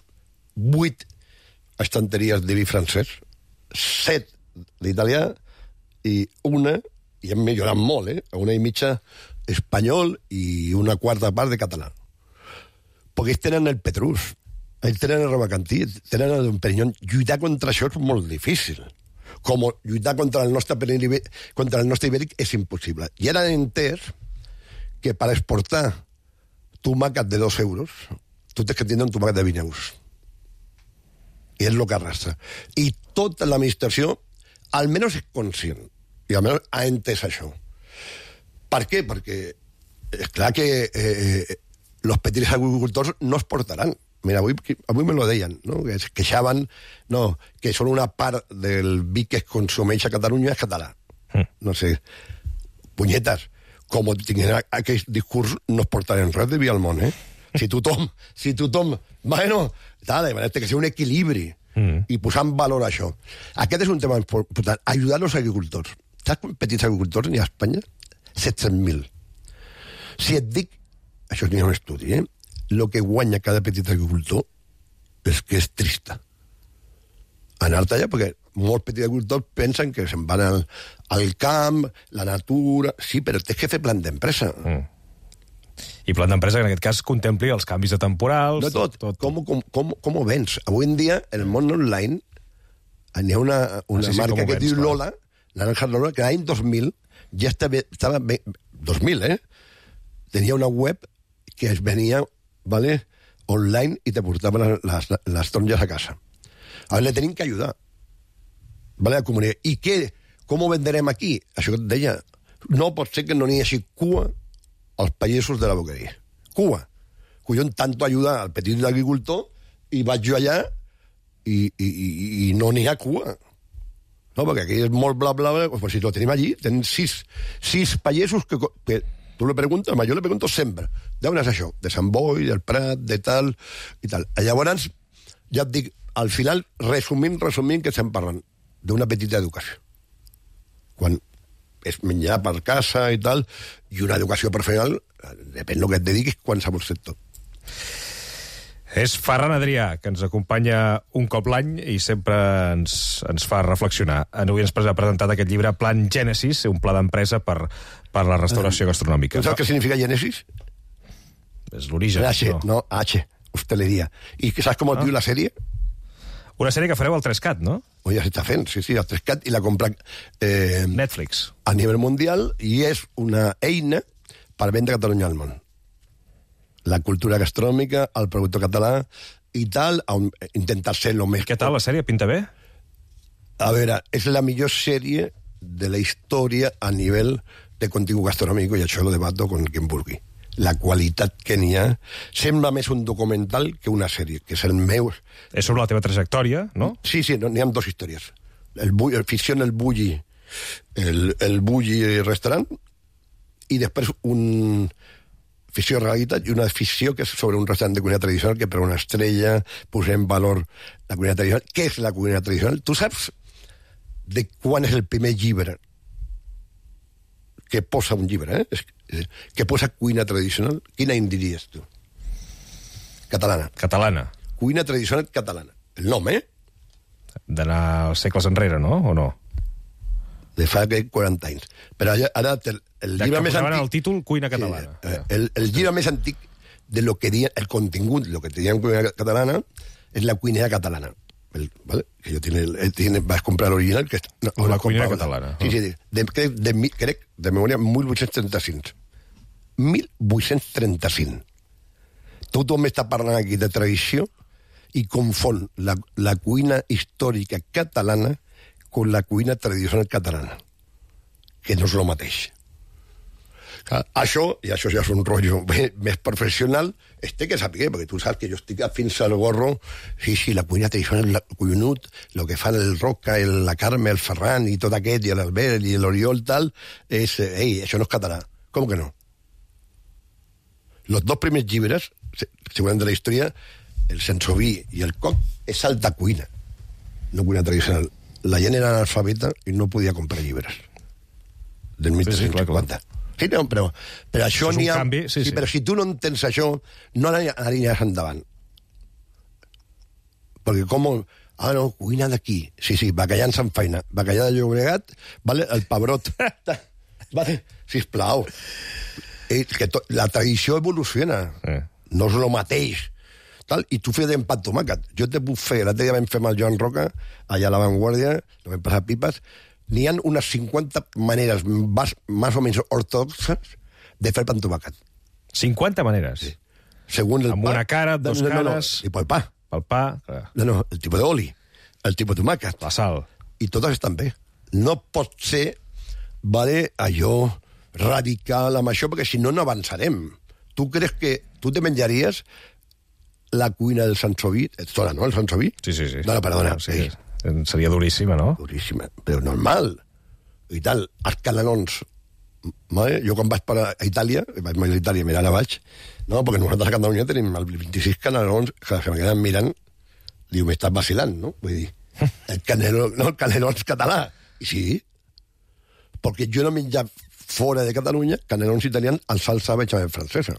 8 estanteries de vi francès, 7 d'italià i una, i hem millorat molt, una i mitja espanyol i una quarta part de català. Perquè ells tenen el Petrus, ells tenen el Robacantí, tenen el Perignon. Lluitar contra això és molt difícil. Com lluitar contra el nostre ibèric és impossible. I ara han entès que per exportar tomàquet de 2 euros, tu tens que tindre un tomàquet de 20 euros. I és el que arrastra. I tota l'administració, almenys és conscient, i almenys ha entès això. Per què? Perquè és clar que los petits agricultors no es portaran. Mira, avui me lo deien, no? Que es queixaven, no, que són una part del vi que es consumeix a Catalunya és català. No sé, punyetes, com tinguin aquest discurs, no es portarem res de vi al món, Si tothom, bueno, tal, que sigui un equilibri i posar en valor això. Aquest és un tema important, ajudar els agricultors. Saps quants petits agricultors n'hi ha a Espanya? 700.000. Si et dic, això n'hi ha un estudi, el que guanya cada petit agricultor és que és trista. Anar-te allà, perquè molts petits agricultors pensen que se'n van al camp, la natura... Sí, però tens que fer plan d'empresa. I plan d'empresa que en aquest cas contempli els canvis de temporals... No tot. Com ho vens? Avui en dia, en el món online, hi ha una marca que diu Lola, Naranja Lola, que l'any 2000 ja estava bé... 2000, tenia una web que es venia, ¿vale?, online i te portaven les taronges a casa. A veure, le tenim que ajudar. ¿Vale? A comunicar. I què? Com ho venderem aquí? Això que et deia. No pot ser que no n'hi hagi cua als pagesos de la boqueria. Cua. Collons, tanto ajudar al petit agricultor i vaig jo allà i no n'hi ha cua. No, perquè aquí és molt bla, bla, bla. Pues si lo tenim allí, tenen sis pagesos que tu le preguntes, jo le pregunto sempre, d'on és això? De Sant Boi, del Prat, de tal, i tal. Llavors, ja et dic, al final, resumint, que estem parlant d'una petita educació. Quan és menjar per casa i tal, i una educació professional, depèn del que et dediquis, qualsevol sector. És Ferran Adrià, que ens acompanya un cop l'any i sempre ens fa reflexionar. Avui ens ha presentat aquest llibre Plan Gènesis, un pla d'empresa per la restauració gastronòmica. ¿Sabes qué significa Génesis? És l'origen. H, no, H, hostelería. ¿Y sabes cómo diu la sèrie? Una sèrie que fareu al 3CAT, no? Ja s'està fent, sí, al 3CAT, i la compra Netflix. A nivell mundial, i és una eina per vendre Catalunya al món. La cultura gastronòmica, el productor català i tal, intentar ser lo més... Què tal, la sèrie? Pinta bé? A veure, és la millor sèrie de la història a nivell de contingut gastronòmic, i això lo debato con quien vulgui. La qualitat que n'hi ha sembla més un documental que una sèrie, que és el meu... És sobre la teva trajectòria, no? Sí, n'hi ha dos històries. El ficció en el Bulli restaurant, i després un... ficció realitat i una ficció que és sobre un restaurant de cuina tradicional que per una estrella posem en valor la cuina tradicional. Què és la cuina tradicional? Tu saps de quan és el primer llibre que posa un llibre, que posa cuina tradicional? Quina en diries tu? Catalana. Catalana. Cuina tradicional catalana. El nom, D'anar segles enrere, no? O no? De fa 40 anys. Però ara el llibre més antic... el títol Cuina catalana. Sí, el llibre més antic de lo que diuen, el contingut, lo que diuen cuina catalana, és la cuinera catalana. ¿Vale? Que yo vas a comprar l'original, que la cuinera catalana. Sí, crec, de memòria, 1835. 1835. Tothom està parlant aquí de tradició i confon la cuina històrica catalana con la cuina tradicional catalana, que no és el mateix. Això ja és un rotllo més professional, que saber, perquè tu saps que jo estic fins al gorro, sí, la cuina tradicional, el collonut, el que fan el Roca, la Carme, el Ferran i tot aquest, i l'Albert i l'Oriol, tal, això no és català. Com que no? Los dos primers llibres, segurament de la història, el Sensoví i el Coc, és alta cuina, no cuina tradicional. La gent era analfabeta i no podia comprar llibres. Del 1350. Sí, no, però això n'hi ha... Canvi, sí. Però si tu no entens això, no aniràs endavant. Perquè com... no, cuina d'aquí. Sí, bacallà en Sant Feina. Bacallà de Llobregat, vale, el pebrot. Vale, sisplau. La tradició evoluciona. No és el mateix. Tal, i tu fes d'empat tomàquet. Jo te puc fer, l'altre dia vam fer amb el Joan Roca, allà a La Vanguardia, no vam passar pipes, n'hi ha unes 50 maneres més o menys ortodoxes de fer pan tomàquet. 50 maneres? Sí. Según el amb pa, una cara, dos cares... I pel pa. Pel pa, clar. No, el tipus d'oli, el tipus de tomàquet. La sal. I totes estan bé. No pot ser, allò radical amb això, perquè si no, no avançarem. Tu creus que tu te menjaries la cuina del Sansoví? Ets dona, no, el Sansoví? Sí. No, perdona. Sí. Seria duríssima, no? Duríssima, però normal. I tal, els canelons. Jo quan vaig a Itàlia, vaig a Itàlia, mira, ara vaig, no, perquè nosaltres a Catalunya tenim el 26 canelons, que se me queden mirant, diu, m'estàs vacilant, no? Vull dir, el canelons català. I sí, perquè jo no he menjat fora de Catalunya canelons italians en salsa bechamel francesa.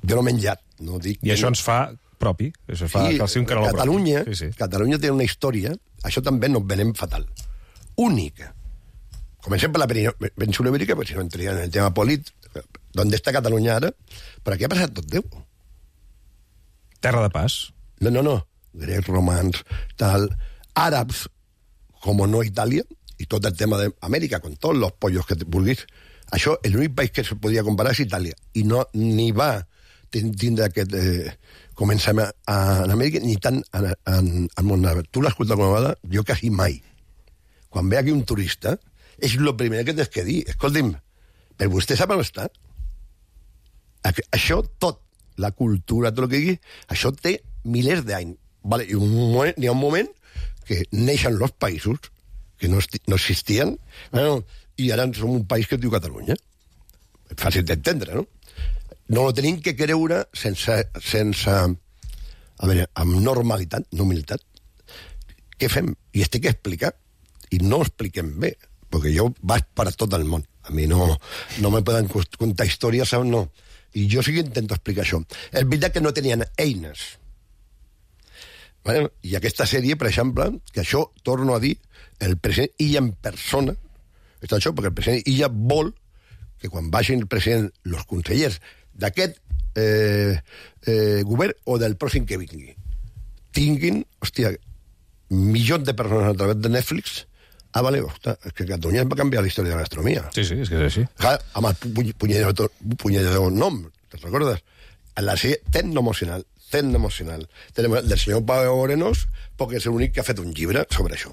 Jo no he menjat, no dic... I això ens fa propi. Això fa que sigui un caneló Catalunya, propi. Catalunya té una història, això també nos venem fatal, única. Comencem per la península ibèrica, perquè si no entraria en el tema polític, d'on està Catalunya ara, però aquí ha passat tot Déu. Terra de pas. No. Grecs, romans, tal, àrabs, com no Itàlia, i tot el tema d'Amèrica, con tots els pollos que vulguis. Això, l'únic país que se podia comparar és Itàlia, i no ni va tindre aquest començament en Amèrica, ni tant al món àrab. Tu l'has escoltat com a vegada? Jo quasi mai. Quan ve aquí un turista, és el primer que tens que dir. Escolti'm, però vostè sap on està? Això tot, la cultura, tot el que digui, això té milers d'anys. Vale, i hi ha un moment que neixen els països que no existien, i ara som un país que es diu Catalunya. Fàcil d'entendre, no? No ho tenim que creure sense a veure, amb normalitat, no humilitat. Què fem? I estic a explicar, i no ho expliquem bé, perquè jo vaig per a tot el món. A mi no me poden contar històries, no. I jo sí que intento explicar això. És veritat que no tenien eines. Vale? I aquesta sèrie, per exemple, que això, torno a dir, el president Illa en persona, està això, perquè el president Illa vol que quan vagin el president, els consellers d'aquest govern o del pròxim que vingui, tinguin, hòstia, milions de persones a través de Netflix. Vale, ostres, és que Catalunya va canviar la història de la gastronomia. Sí, és que és així. Amb el punyedor nom, te'n recordes? En la sèrie Tecnoemocional, del senyor Pau Orenos, perquè és l'únic que ha fet un llibre sobre això.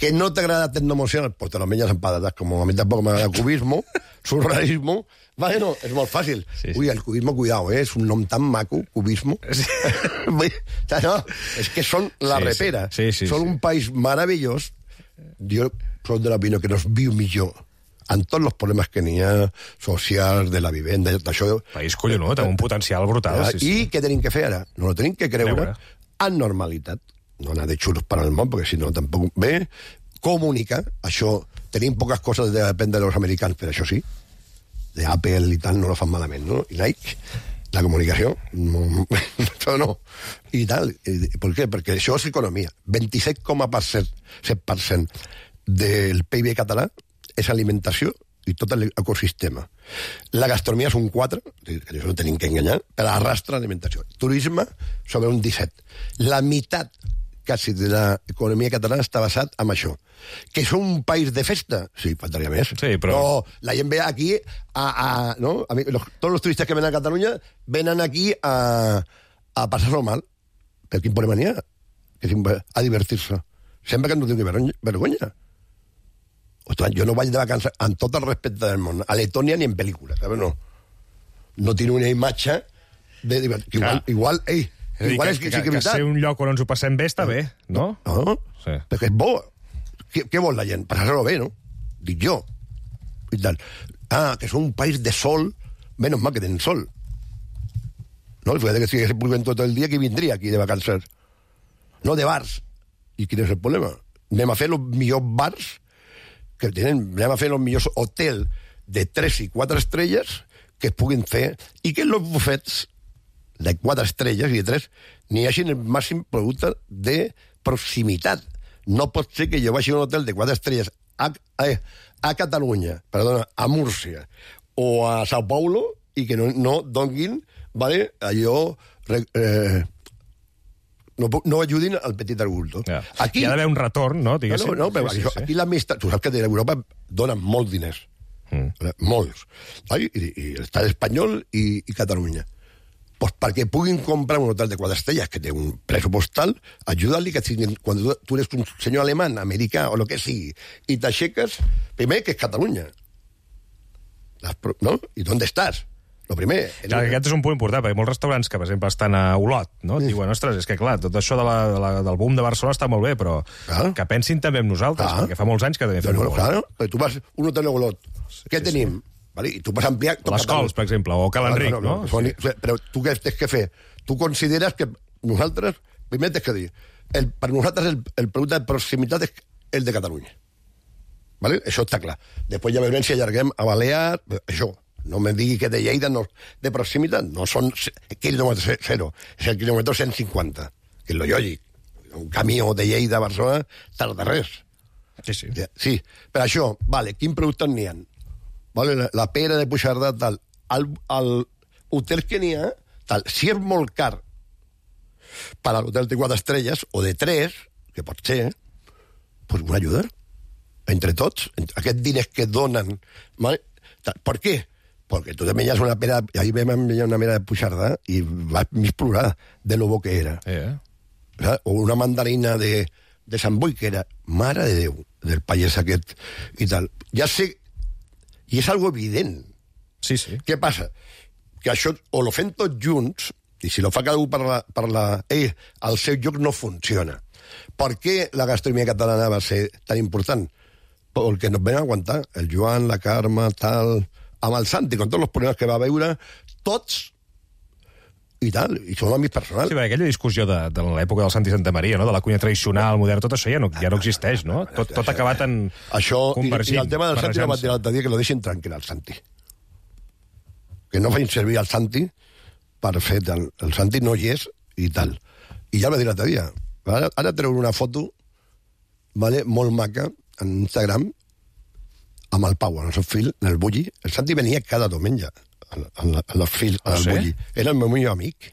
Que no t'agrada Tecnoemocional, pues te lo menges amb patates, com a mi tampoc m'agrada cubismo, surrealismo. Bueno, és molt fàcil. Sí. Ui, el cubismo, cuidao, és un nom tan maco, cubismo. Sí. No, és que són la repera. Sí, són un país meravellós. Jo soc de l'opinió que no es viu millor amb tots els problemes que n'hi ha socials, de la vivenda, d'això. País collonut, amb un potencial brutal. I què tenim que fer ara? No ho tenim que creure en normalitat. No anar de xulos per al món, perquè si no tampoc ve. Comunicar, això, tenim poques coses de dependre dels americans, però això sí, d'Apple i tal, no lo fan malament, no? I Nike, la comunicació, això no. I tal, per què? Perquè això és economia. 27,7% del PIB català és alimentació i tot l'ecosistema. La gastronomia és un 4, que això no tenim que enganyar, però arrastra l'alimentació. Turisme sobre un 17. La meitat quasi de l'economia catalana està basat en això. Que és un país de festa? Sí, faltaria més. Sí, però... No, la gent ve aquí no? Tots els turistes que venen a Catalunya venen aquí a passar-ho mal. Però quin problema n'hi ha? A divertir-se. Sempre que no tingui vergonya. Ostres, jo no vaig de vacances amb tot el respecte del món. A Letònia ni en pel·lícula, saps? No tinc una imatge de divertir. Igual, igual és que sí que és veritat. Que ser un lloc on ens ho passem bé està bé, no? No, sí. Perquè és bo. Què vol la gent? Passar-ho bé, no? Dic jo. I tal. Que som un país de sol, menys mal que tenen sol. No? Fíjate que si estigués plovent tot el dia, qui vindria aquí de vacances? No, de bars. I quin és el problema? Anem a fer els millors bars que tenen, anem a fer els millors hotels de 3 i 4 estrelles que es puguin fer, i que els bufets de 4 estrelles i de 3 n'hi hagin el màxim producte de proximitat. No pot ser que jo vagi a un hotel de 4 estrelles a Catalunya, perdona, a Múrcia o a Sao Paulo i que no donguin, vale, allò... No ajudin al petit agricultor. Ja. Aquí... Hi ha d'haver un retorn, no? Diguéssim. No, però sí. Aquí l'administració... Tu saps que Europa dona molts diners. Molts. I l'Estat espanyol i Catalunya. Pues perquè puguin comprar un hotel de 4 estrelles que té un pressupostal, ajuda-li que quan tu eres un senyor alemany, americà o el que sigui, i t'aixeques, primer que és Catalunya. No? I d'on estàs? Lo primer... Clar, aquest és un punt important, perquè molts restaurants que, per exemple, estan a Olot, no? Diuen, ostres, és que, clar, tot això del boom de Barcelona està molt bé, però que pensin també en nosaltres, perquè fa molts anys que també fem molt. Clar, tu vas a un hotel a Olot, què tenim? Vale? I tu vas ampliar... Les Cols, per exemple, o Cal Enric, no? Però tu què tens que fer? Tu consideres que nosaltres, primer tens que dir, per nosaltres el producte de proximitat és el de Catalunya. Vale? Això està clar. Després ja veurem si allarguem a Balears, això. no me digui que de Lleida de proximitat no són quilòmetre zero, és el quilòmetre 150, que és lo lògic. Un camió de Lleida a Barcelona tarda res. Sí. Sí, per això, vale, quins productes n'hi ha? Vale, la pera de Puigcerdà, tal. Al hotel que n'hi ha, tal. Si és molt car per a l'hotel de 4 estrelles, o de 3, que pot ser, pues una ajuda. Entre tots, aquests diners que donen... ¿vale? ¿Por qué? Porque tú te menjas una pera... Ahí vam menjar una pera de Puigcerdà i vas mig plorar de lo bo que era. O una mandarina de Sant Boi, que era mare de Déu, del pallès aquest i tal. Ja sé... I és algo evident. Sí. Què passa? Que això o lo fem tots junts, i si lo fa cada un al seu lloc no funciona. Per què la gastronomia catalana va ser tan important? Perquè nos ven a aguantar. El Joan, la Carme, tal... Amb el Santi, con tots els problemes que va veure, tots i tal, i són amics personals. Sí, aquella discussió de l'època del Santi Santa Maria, no? De la cuina tradicional, modern, tot això ja no existeix, no? Tot ha acabat en convergint. I el tema del Santi no va dir l'altre dia que lo deixin tranquil al Santi. Que no feien servir el Santi per fer tal. El Santi no hi és i tal. I ja va dir l'altre dia. Ara treu una foto, vale, molt maca, en Instagram, amb el Pau, en el seu fill, en el Bulli. El Santi venia cada diumenge en el fill, en el Bulli. Era el meu millor amic.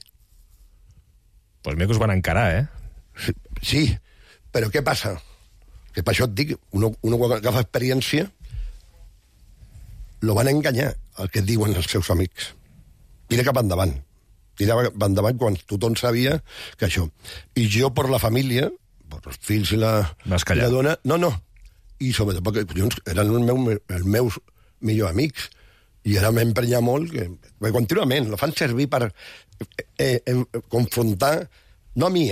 Pues mira que us van encarar, eh? Sí, però què passa? Que per això et dic, uno quan agafa experiència, lo van enganyar, el que diuen els seus amics. Tira cap endavant. Tira cap endavant quan tothom sabia que això. I jo, per la família, per els fills i la dona... No. I sobretot perquè eren els meus millors amics i ara m'emprenya molt que contínuament lo fan servir per confrontar, no a mi,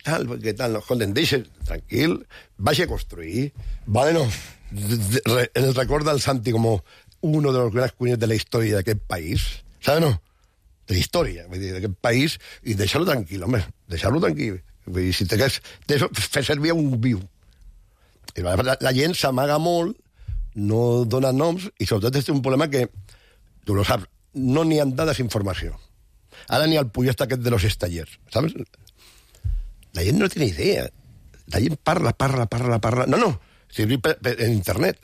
tal, perquè tal, no, escolten, deixa tranquil, vaig a construir, bueno, el record del Santi com uno de los grans cuiners de la història d'aquest país, saps, no? De la història, vull dir, d'aquest país, i deixar-lo tranquil, home, deixar-lo tranquil. Vull dir, si t'hagués fer servir un viu. La gent s'amaga molt, no dona noms, i sobretot és un problema que, tu lo saps, no n'hi ha de desinformació. Ara n'hi ha el pullesta aquest de los estallers, saps? La gent no té ni idea. La gent parla. No, servir en internet.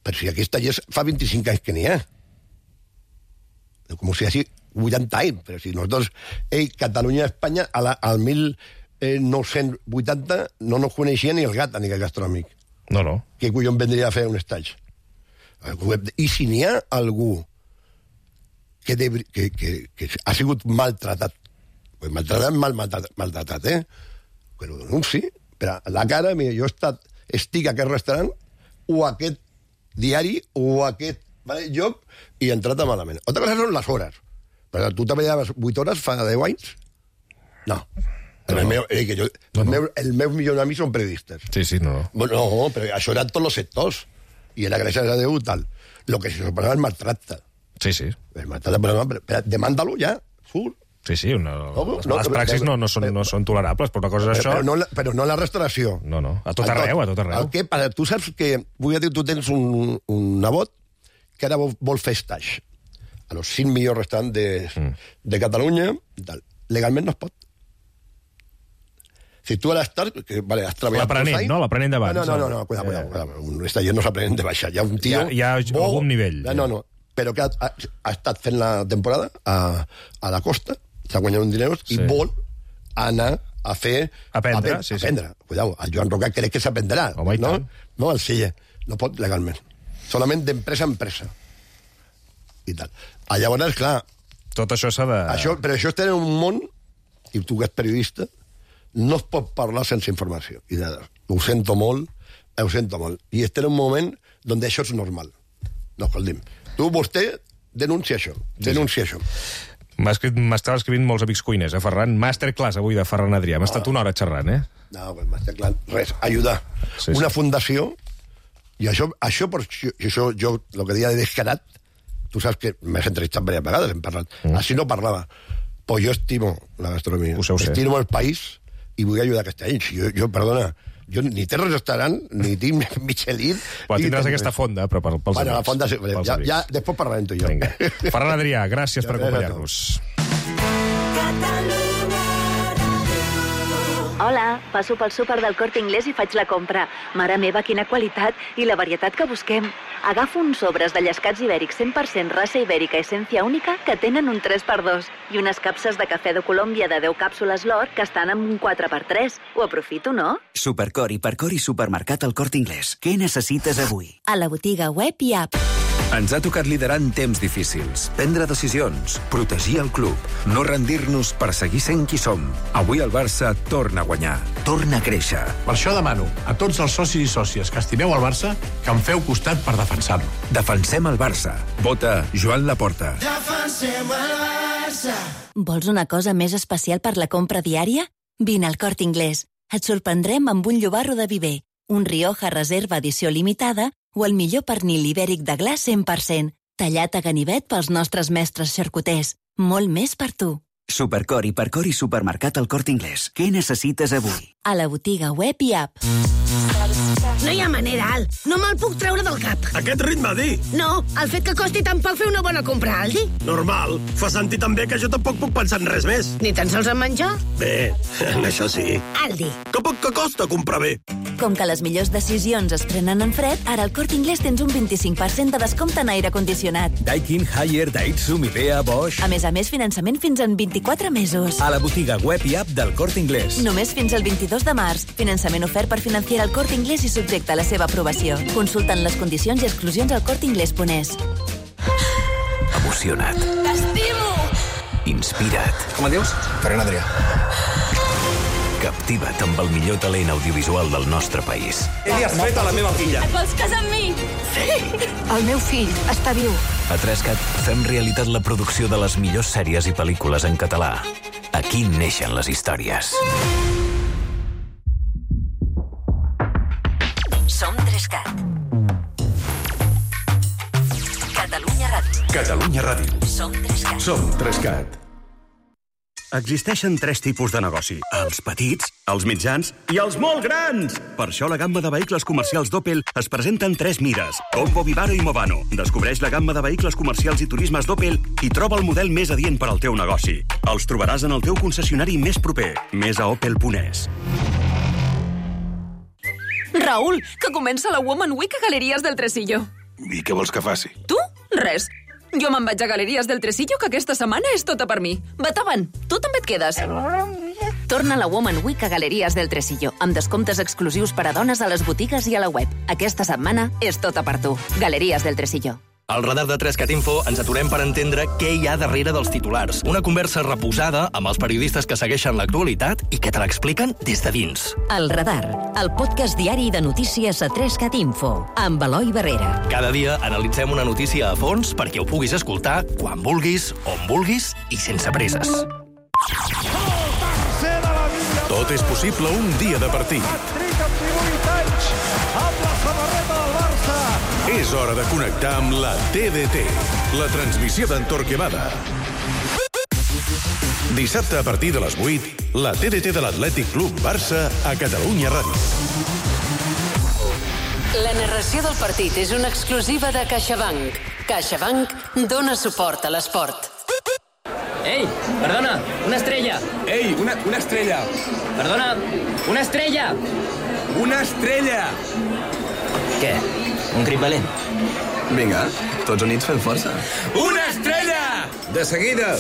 Però si aquí estallers fa 25 anys que n'hi ha. Com si hagi 80 anys, però si nosaltres, Catalunya i Espanya, al 1980 no nos coneixia ni el gat a nivell gastronòmic. No. Què collons vendria a fer un estatge? I si n'hi ha algú que ha sigut maltratat, maltratat, que ho denunci, però a la cara, mira, jo estic a aquest restaurant, o a aquest diari, o a aquest lloc, i he entrat malament. Altra cosa són les hores. Però tu treballaves 8 hores fa 10 anys? No. El meu millor amic són periodistes. Sí, no. No, però això eren tots els sectors. I era gràcies a Déu tal. Lo que se suposava el maltracte. Sí. El maltracte, però demanda-lo ja, surt. Sí, les praxis no són tolerables, però una cosa és això... Però no la restauració. No, a tot arreu. Tu saps que, vull dir, tu tens un nebot que ara vol fer stage a los 5 millors restaurants de Catalunya, legalment no es pot. Si tu ara estàs... has treballat... L'aprenent, no? L'aprenent de baix. No, cuidado. Un estaller no s'aprenen de baixar. Hi ha un tio... Hi ha algun nivell. No. Però que ha estat fent la temporada a la costa, s'ha guanyat un diners i vol anar a fer... Aprendre. Cuidado, el Joan Roca crec que s'aprendrà. Home, i tant. No, el Sella. No pot legalment. Solament d'empresa a empresa. I tal. Llavors, clar... Tot això s'ha de... Però això està en un món, i tu que ets periodista, no es pot parlar sense informació. I ho sento molt. I estem en un moment on això és normal. No, escolti'm, vostè denuncia això. Això. M'estava escrivint molts amics cuiners, Ferran. Masterclass avui de Ferran Adrià. Hem estat una hora xerrant, No, masterclass, res. Ajudar. Sí. Una fundació, i això jo, el que deia de descarat, tu saps que m'has entrevistat diverses vegades, hem parlat. Així no parlava. Però jo estimo la gastronomia. Estimo el país, i vull ajudar aquesta gent. Jo, perdona, Jo ni té restaurant, ni tinc Michelin... Però tindràs aquesta fonda, però pels amics. Bueno, la fonda... Ja, després parlarem tu i jo. Vinga. Ferran Adrià, gràcies per acompanyar-nos. Hola, passo pel súper del Corte Inglés i faig la compra. Mare meva, quina qualitat i la varietat que busquem. Agafo uns sobres de llescats ibèrics 100% raça ibèrica essència única que tenen un 3x2 i unes capses de cafè de Colòmbia de 10 càpsules l'or que estan amb un 4x3. Ho aprofito, no? Supercor, Hipercor i Supermercat al Corte Inglés. Què necessites avui? A la botiga web i app. Ens ha tocat liderar en temps difícils, prendre decisions, protegir el club, no rendir-nos per seguir sent qui som. Avui el Barça torna a guanyar, torna a créixer. Per això demano a tots els socis i sòcies que estimeu el Barça que em feu costat per defensar-lo. Defensem el Barça. Vota Joan Laporta. Defensem el Barça. Vols una cosa més especial per la compra diària? Vine al Corte Inglés. Et sorprendrem amb un llobarro de Viver, un Rioja Reserva edició limitada o el millor pernil ibèric de gla 100%, tallat a ganivet pels nostres mestres xarcuters. Molt més per tu. Supercor, Hipercor i Supermercat al Corte Inglés. Què necessites avui? A la botiga web i app. No hi ha manera, Al. No me'l puc treure del cap. Aquest ritme, Di. No, el fet que costi tan poc fer una bona compra, Aldi. Normal. Fa sentir també que jo tampoc puc pensar en res més. Ni tan sols en menjar? Bé, en això sí. Aldi. Que poc que costa comprar bé. Com que les millors decisions es prenen en fred, ara al Corte Inglés tens un 25% de descompte en aire condicionat. Daikin, Haier, Daihatsu, Midea, Bosch... A més, finançament fins en 24 mesos. A la botiga web i app del Corte Inglés. Només fins al 22 de març. Finançament ofert per Financiera al Corte Inglés i subjecte a la seva aprovació. Consulten les condicions i exclusions al corteingles.es. Emocionat. T'estimo! Inspira't. Com et dius? Ferran Adrià. Captiva't amb el millor talent audiovisual del nostre país. Què li has fet a la meva filla? Et vols casar amb mi? Sí! El meu fill està viu. A 3CAT fem realitat la producció de les millors sèries i pel·lícules en català. Aquí neixen les històries. Som 3CAT. Catalunya Ràdio. Catalunya Ràdio. Som 3CAT. Som 3CAT. Existeixen 3 tipus de negoci. Els petits, els mitjans i els molt grans. Per això la gamma de vehicles comercials d'Opel es presenta en 3 mires. Combo, Vivaro i Movano. Descobreix la gamma de vehicles comercials i turismes d'Opel i troba el model més adient per al teu negoci. Els trobaràs en el teu concessionari més proper. Més a opel.es. Raül, que comença la Woman Week a Galeries del Tresillo. I què vols que faci? Tu? Res. Jo me'n vaig a Galeries del Tresillo, que aquesta setmana és tota per mi. Vet avant, tu també et quedes. Torna la Woman Week a Galeries del Tresillo, amb descomptes exclusius per a dones a les botigues i a la web. Aquesta setmana és tota per tu. Galeries del Tresillo. Al radar de 3CAT Info ens aturem per entendre què hi ha darrere dels titulars. Una conversa reposada amb els periodistes que segueixen l'actualitat i que te l'expliquen des de dins. El radar, el podcast diari de notícies a 3CAT Info, amb Eloi Barrera. Cada dia analitzem una notícia a fons perquè ho puguis escoltar quan vulguis, on vulguis i sense presses. Tot és possible un dia de partit. Amb la samarreta del Barça. És hora de connectar amb la TDT, la transmissió d'en Torquemada. Dissabte a partir de les 8, la TDT de l'Atlètic Club Barça a Catalunya Ràdio. La narració del partit és una exclusiva de CaixaBank. CaixaBank dona suport a l'esport. Ei, perdona, una estrella. Ei, una estrella. Perdona, una estrella. Una estrella. Què? Un crit valent? Vinga, tots units fem força. Una estrella! De seguida.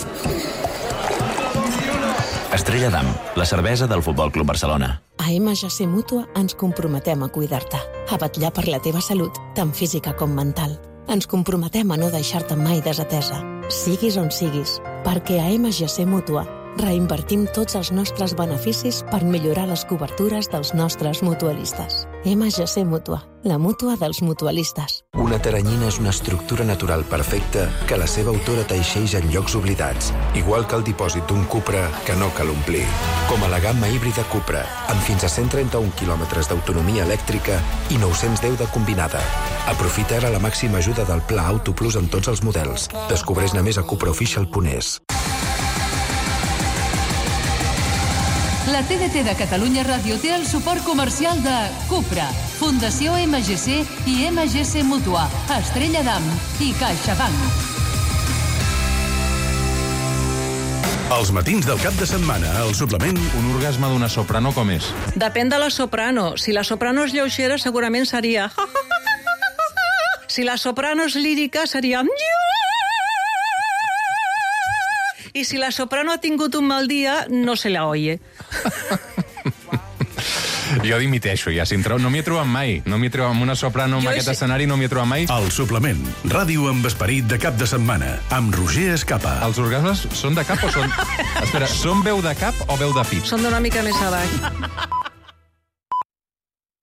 Estrella d'Am, la cervesa del Futbol Club Barcelona. A MGC Mútua ens comprometem a cuidar-te, a vetllar per la teva salut, tant física com mental. Ens comprometem a no deixar-te mai desatesa, siguis on siguis, perquè a MGC Mútua reinvertim tots els nostres beneficis per millorar les cobertures dels nostres mutualistes. MGC Mútua, la mútua dels mutualistes. Una teranyina és una estructura natural perfecta que la seva autora teixeix en llocs oblidats, igual que el dipòsit d'un Cupra que no cal omplir. Com a la gamma híbrida Cupra, amb fins a 131 quilòmetres d'autonomia elèctrica i 910 de combinada. Aprofita ara la màxima ajuda del Pla Auto Plus en tots els models. Descobreix-ne més a cupraofficial.es. La TDT de Catalunya Ràdio té el suport comercial de Cupra, Fundació MGC i MGC Mútua, Estrella d'Am i CaixaBank. Els matins del cap de setmana, al suplement... Un orgasme d'una soprano com és? Depèn de la soprano. Si la soprano és lleugera, segurament seria... Si la soprano és lírica, seria... I si la soprano ha tingut un mal dia, no se la oye. Jo dimiteixo, ja. No m'hi he trobat mai. No m'hi he trobat amb una soprano en aquest escenari, no m'hi he trobat mai. El suplement. Ràdio amb esperit de cap de setmana. Amb Roger Escapa. Els orgasmes són de cap o són... Espera, són veu de cap o veu de pit? Són d'una mica més avall.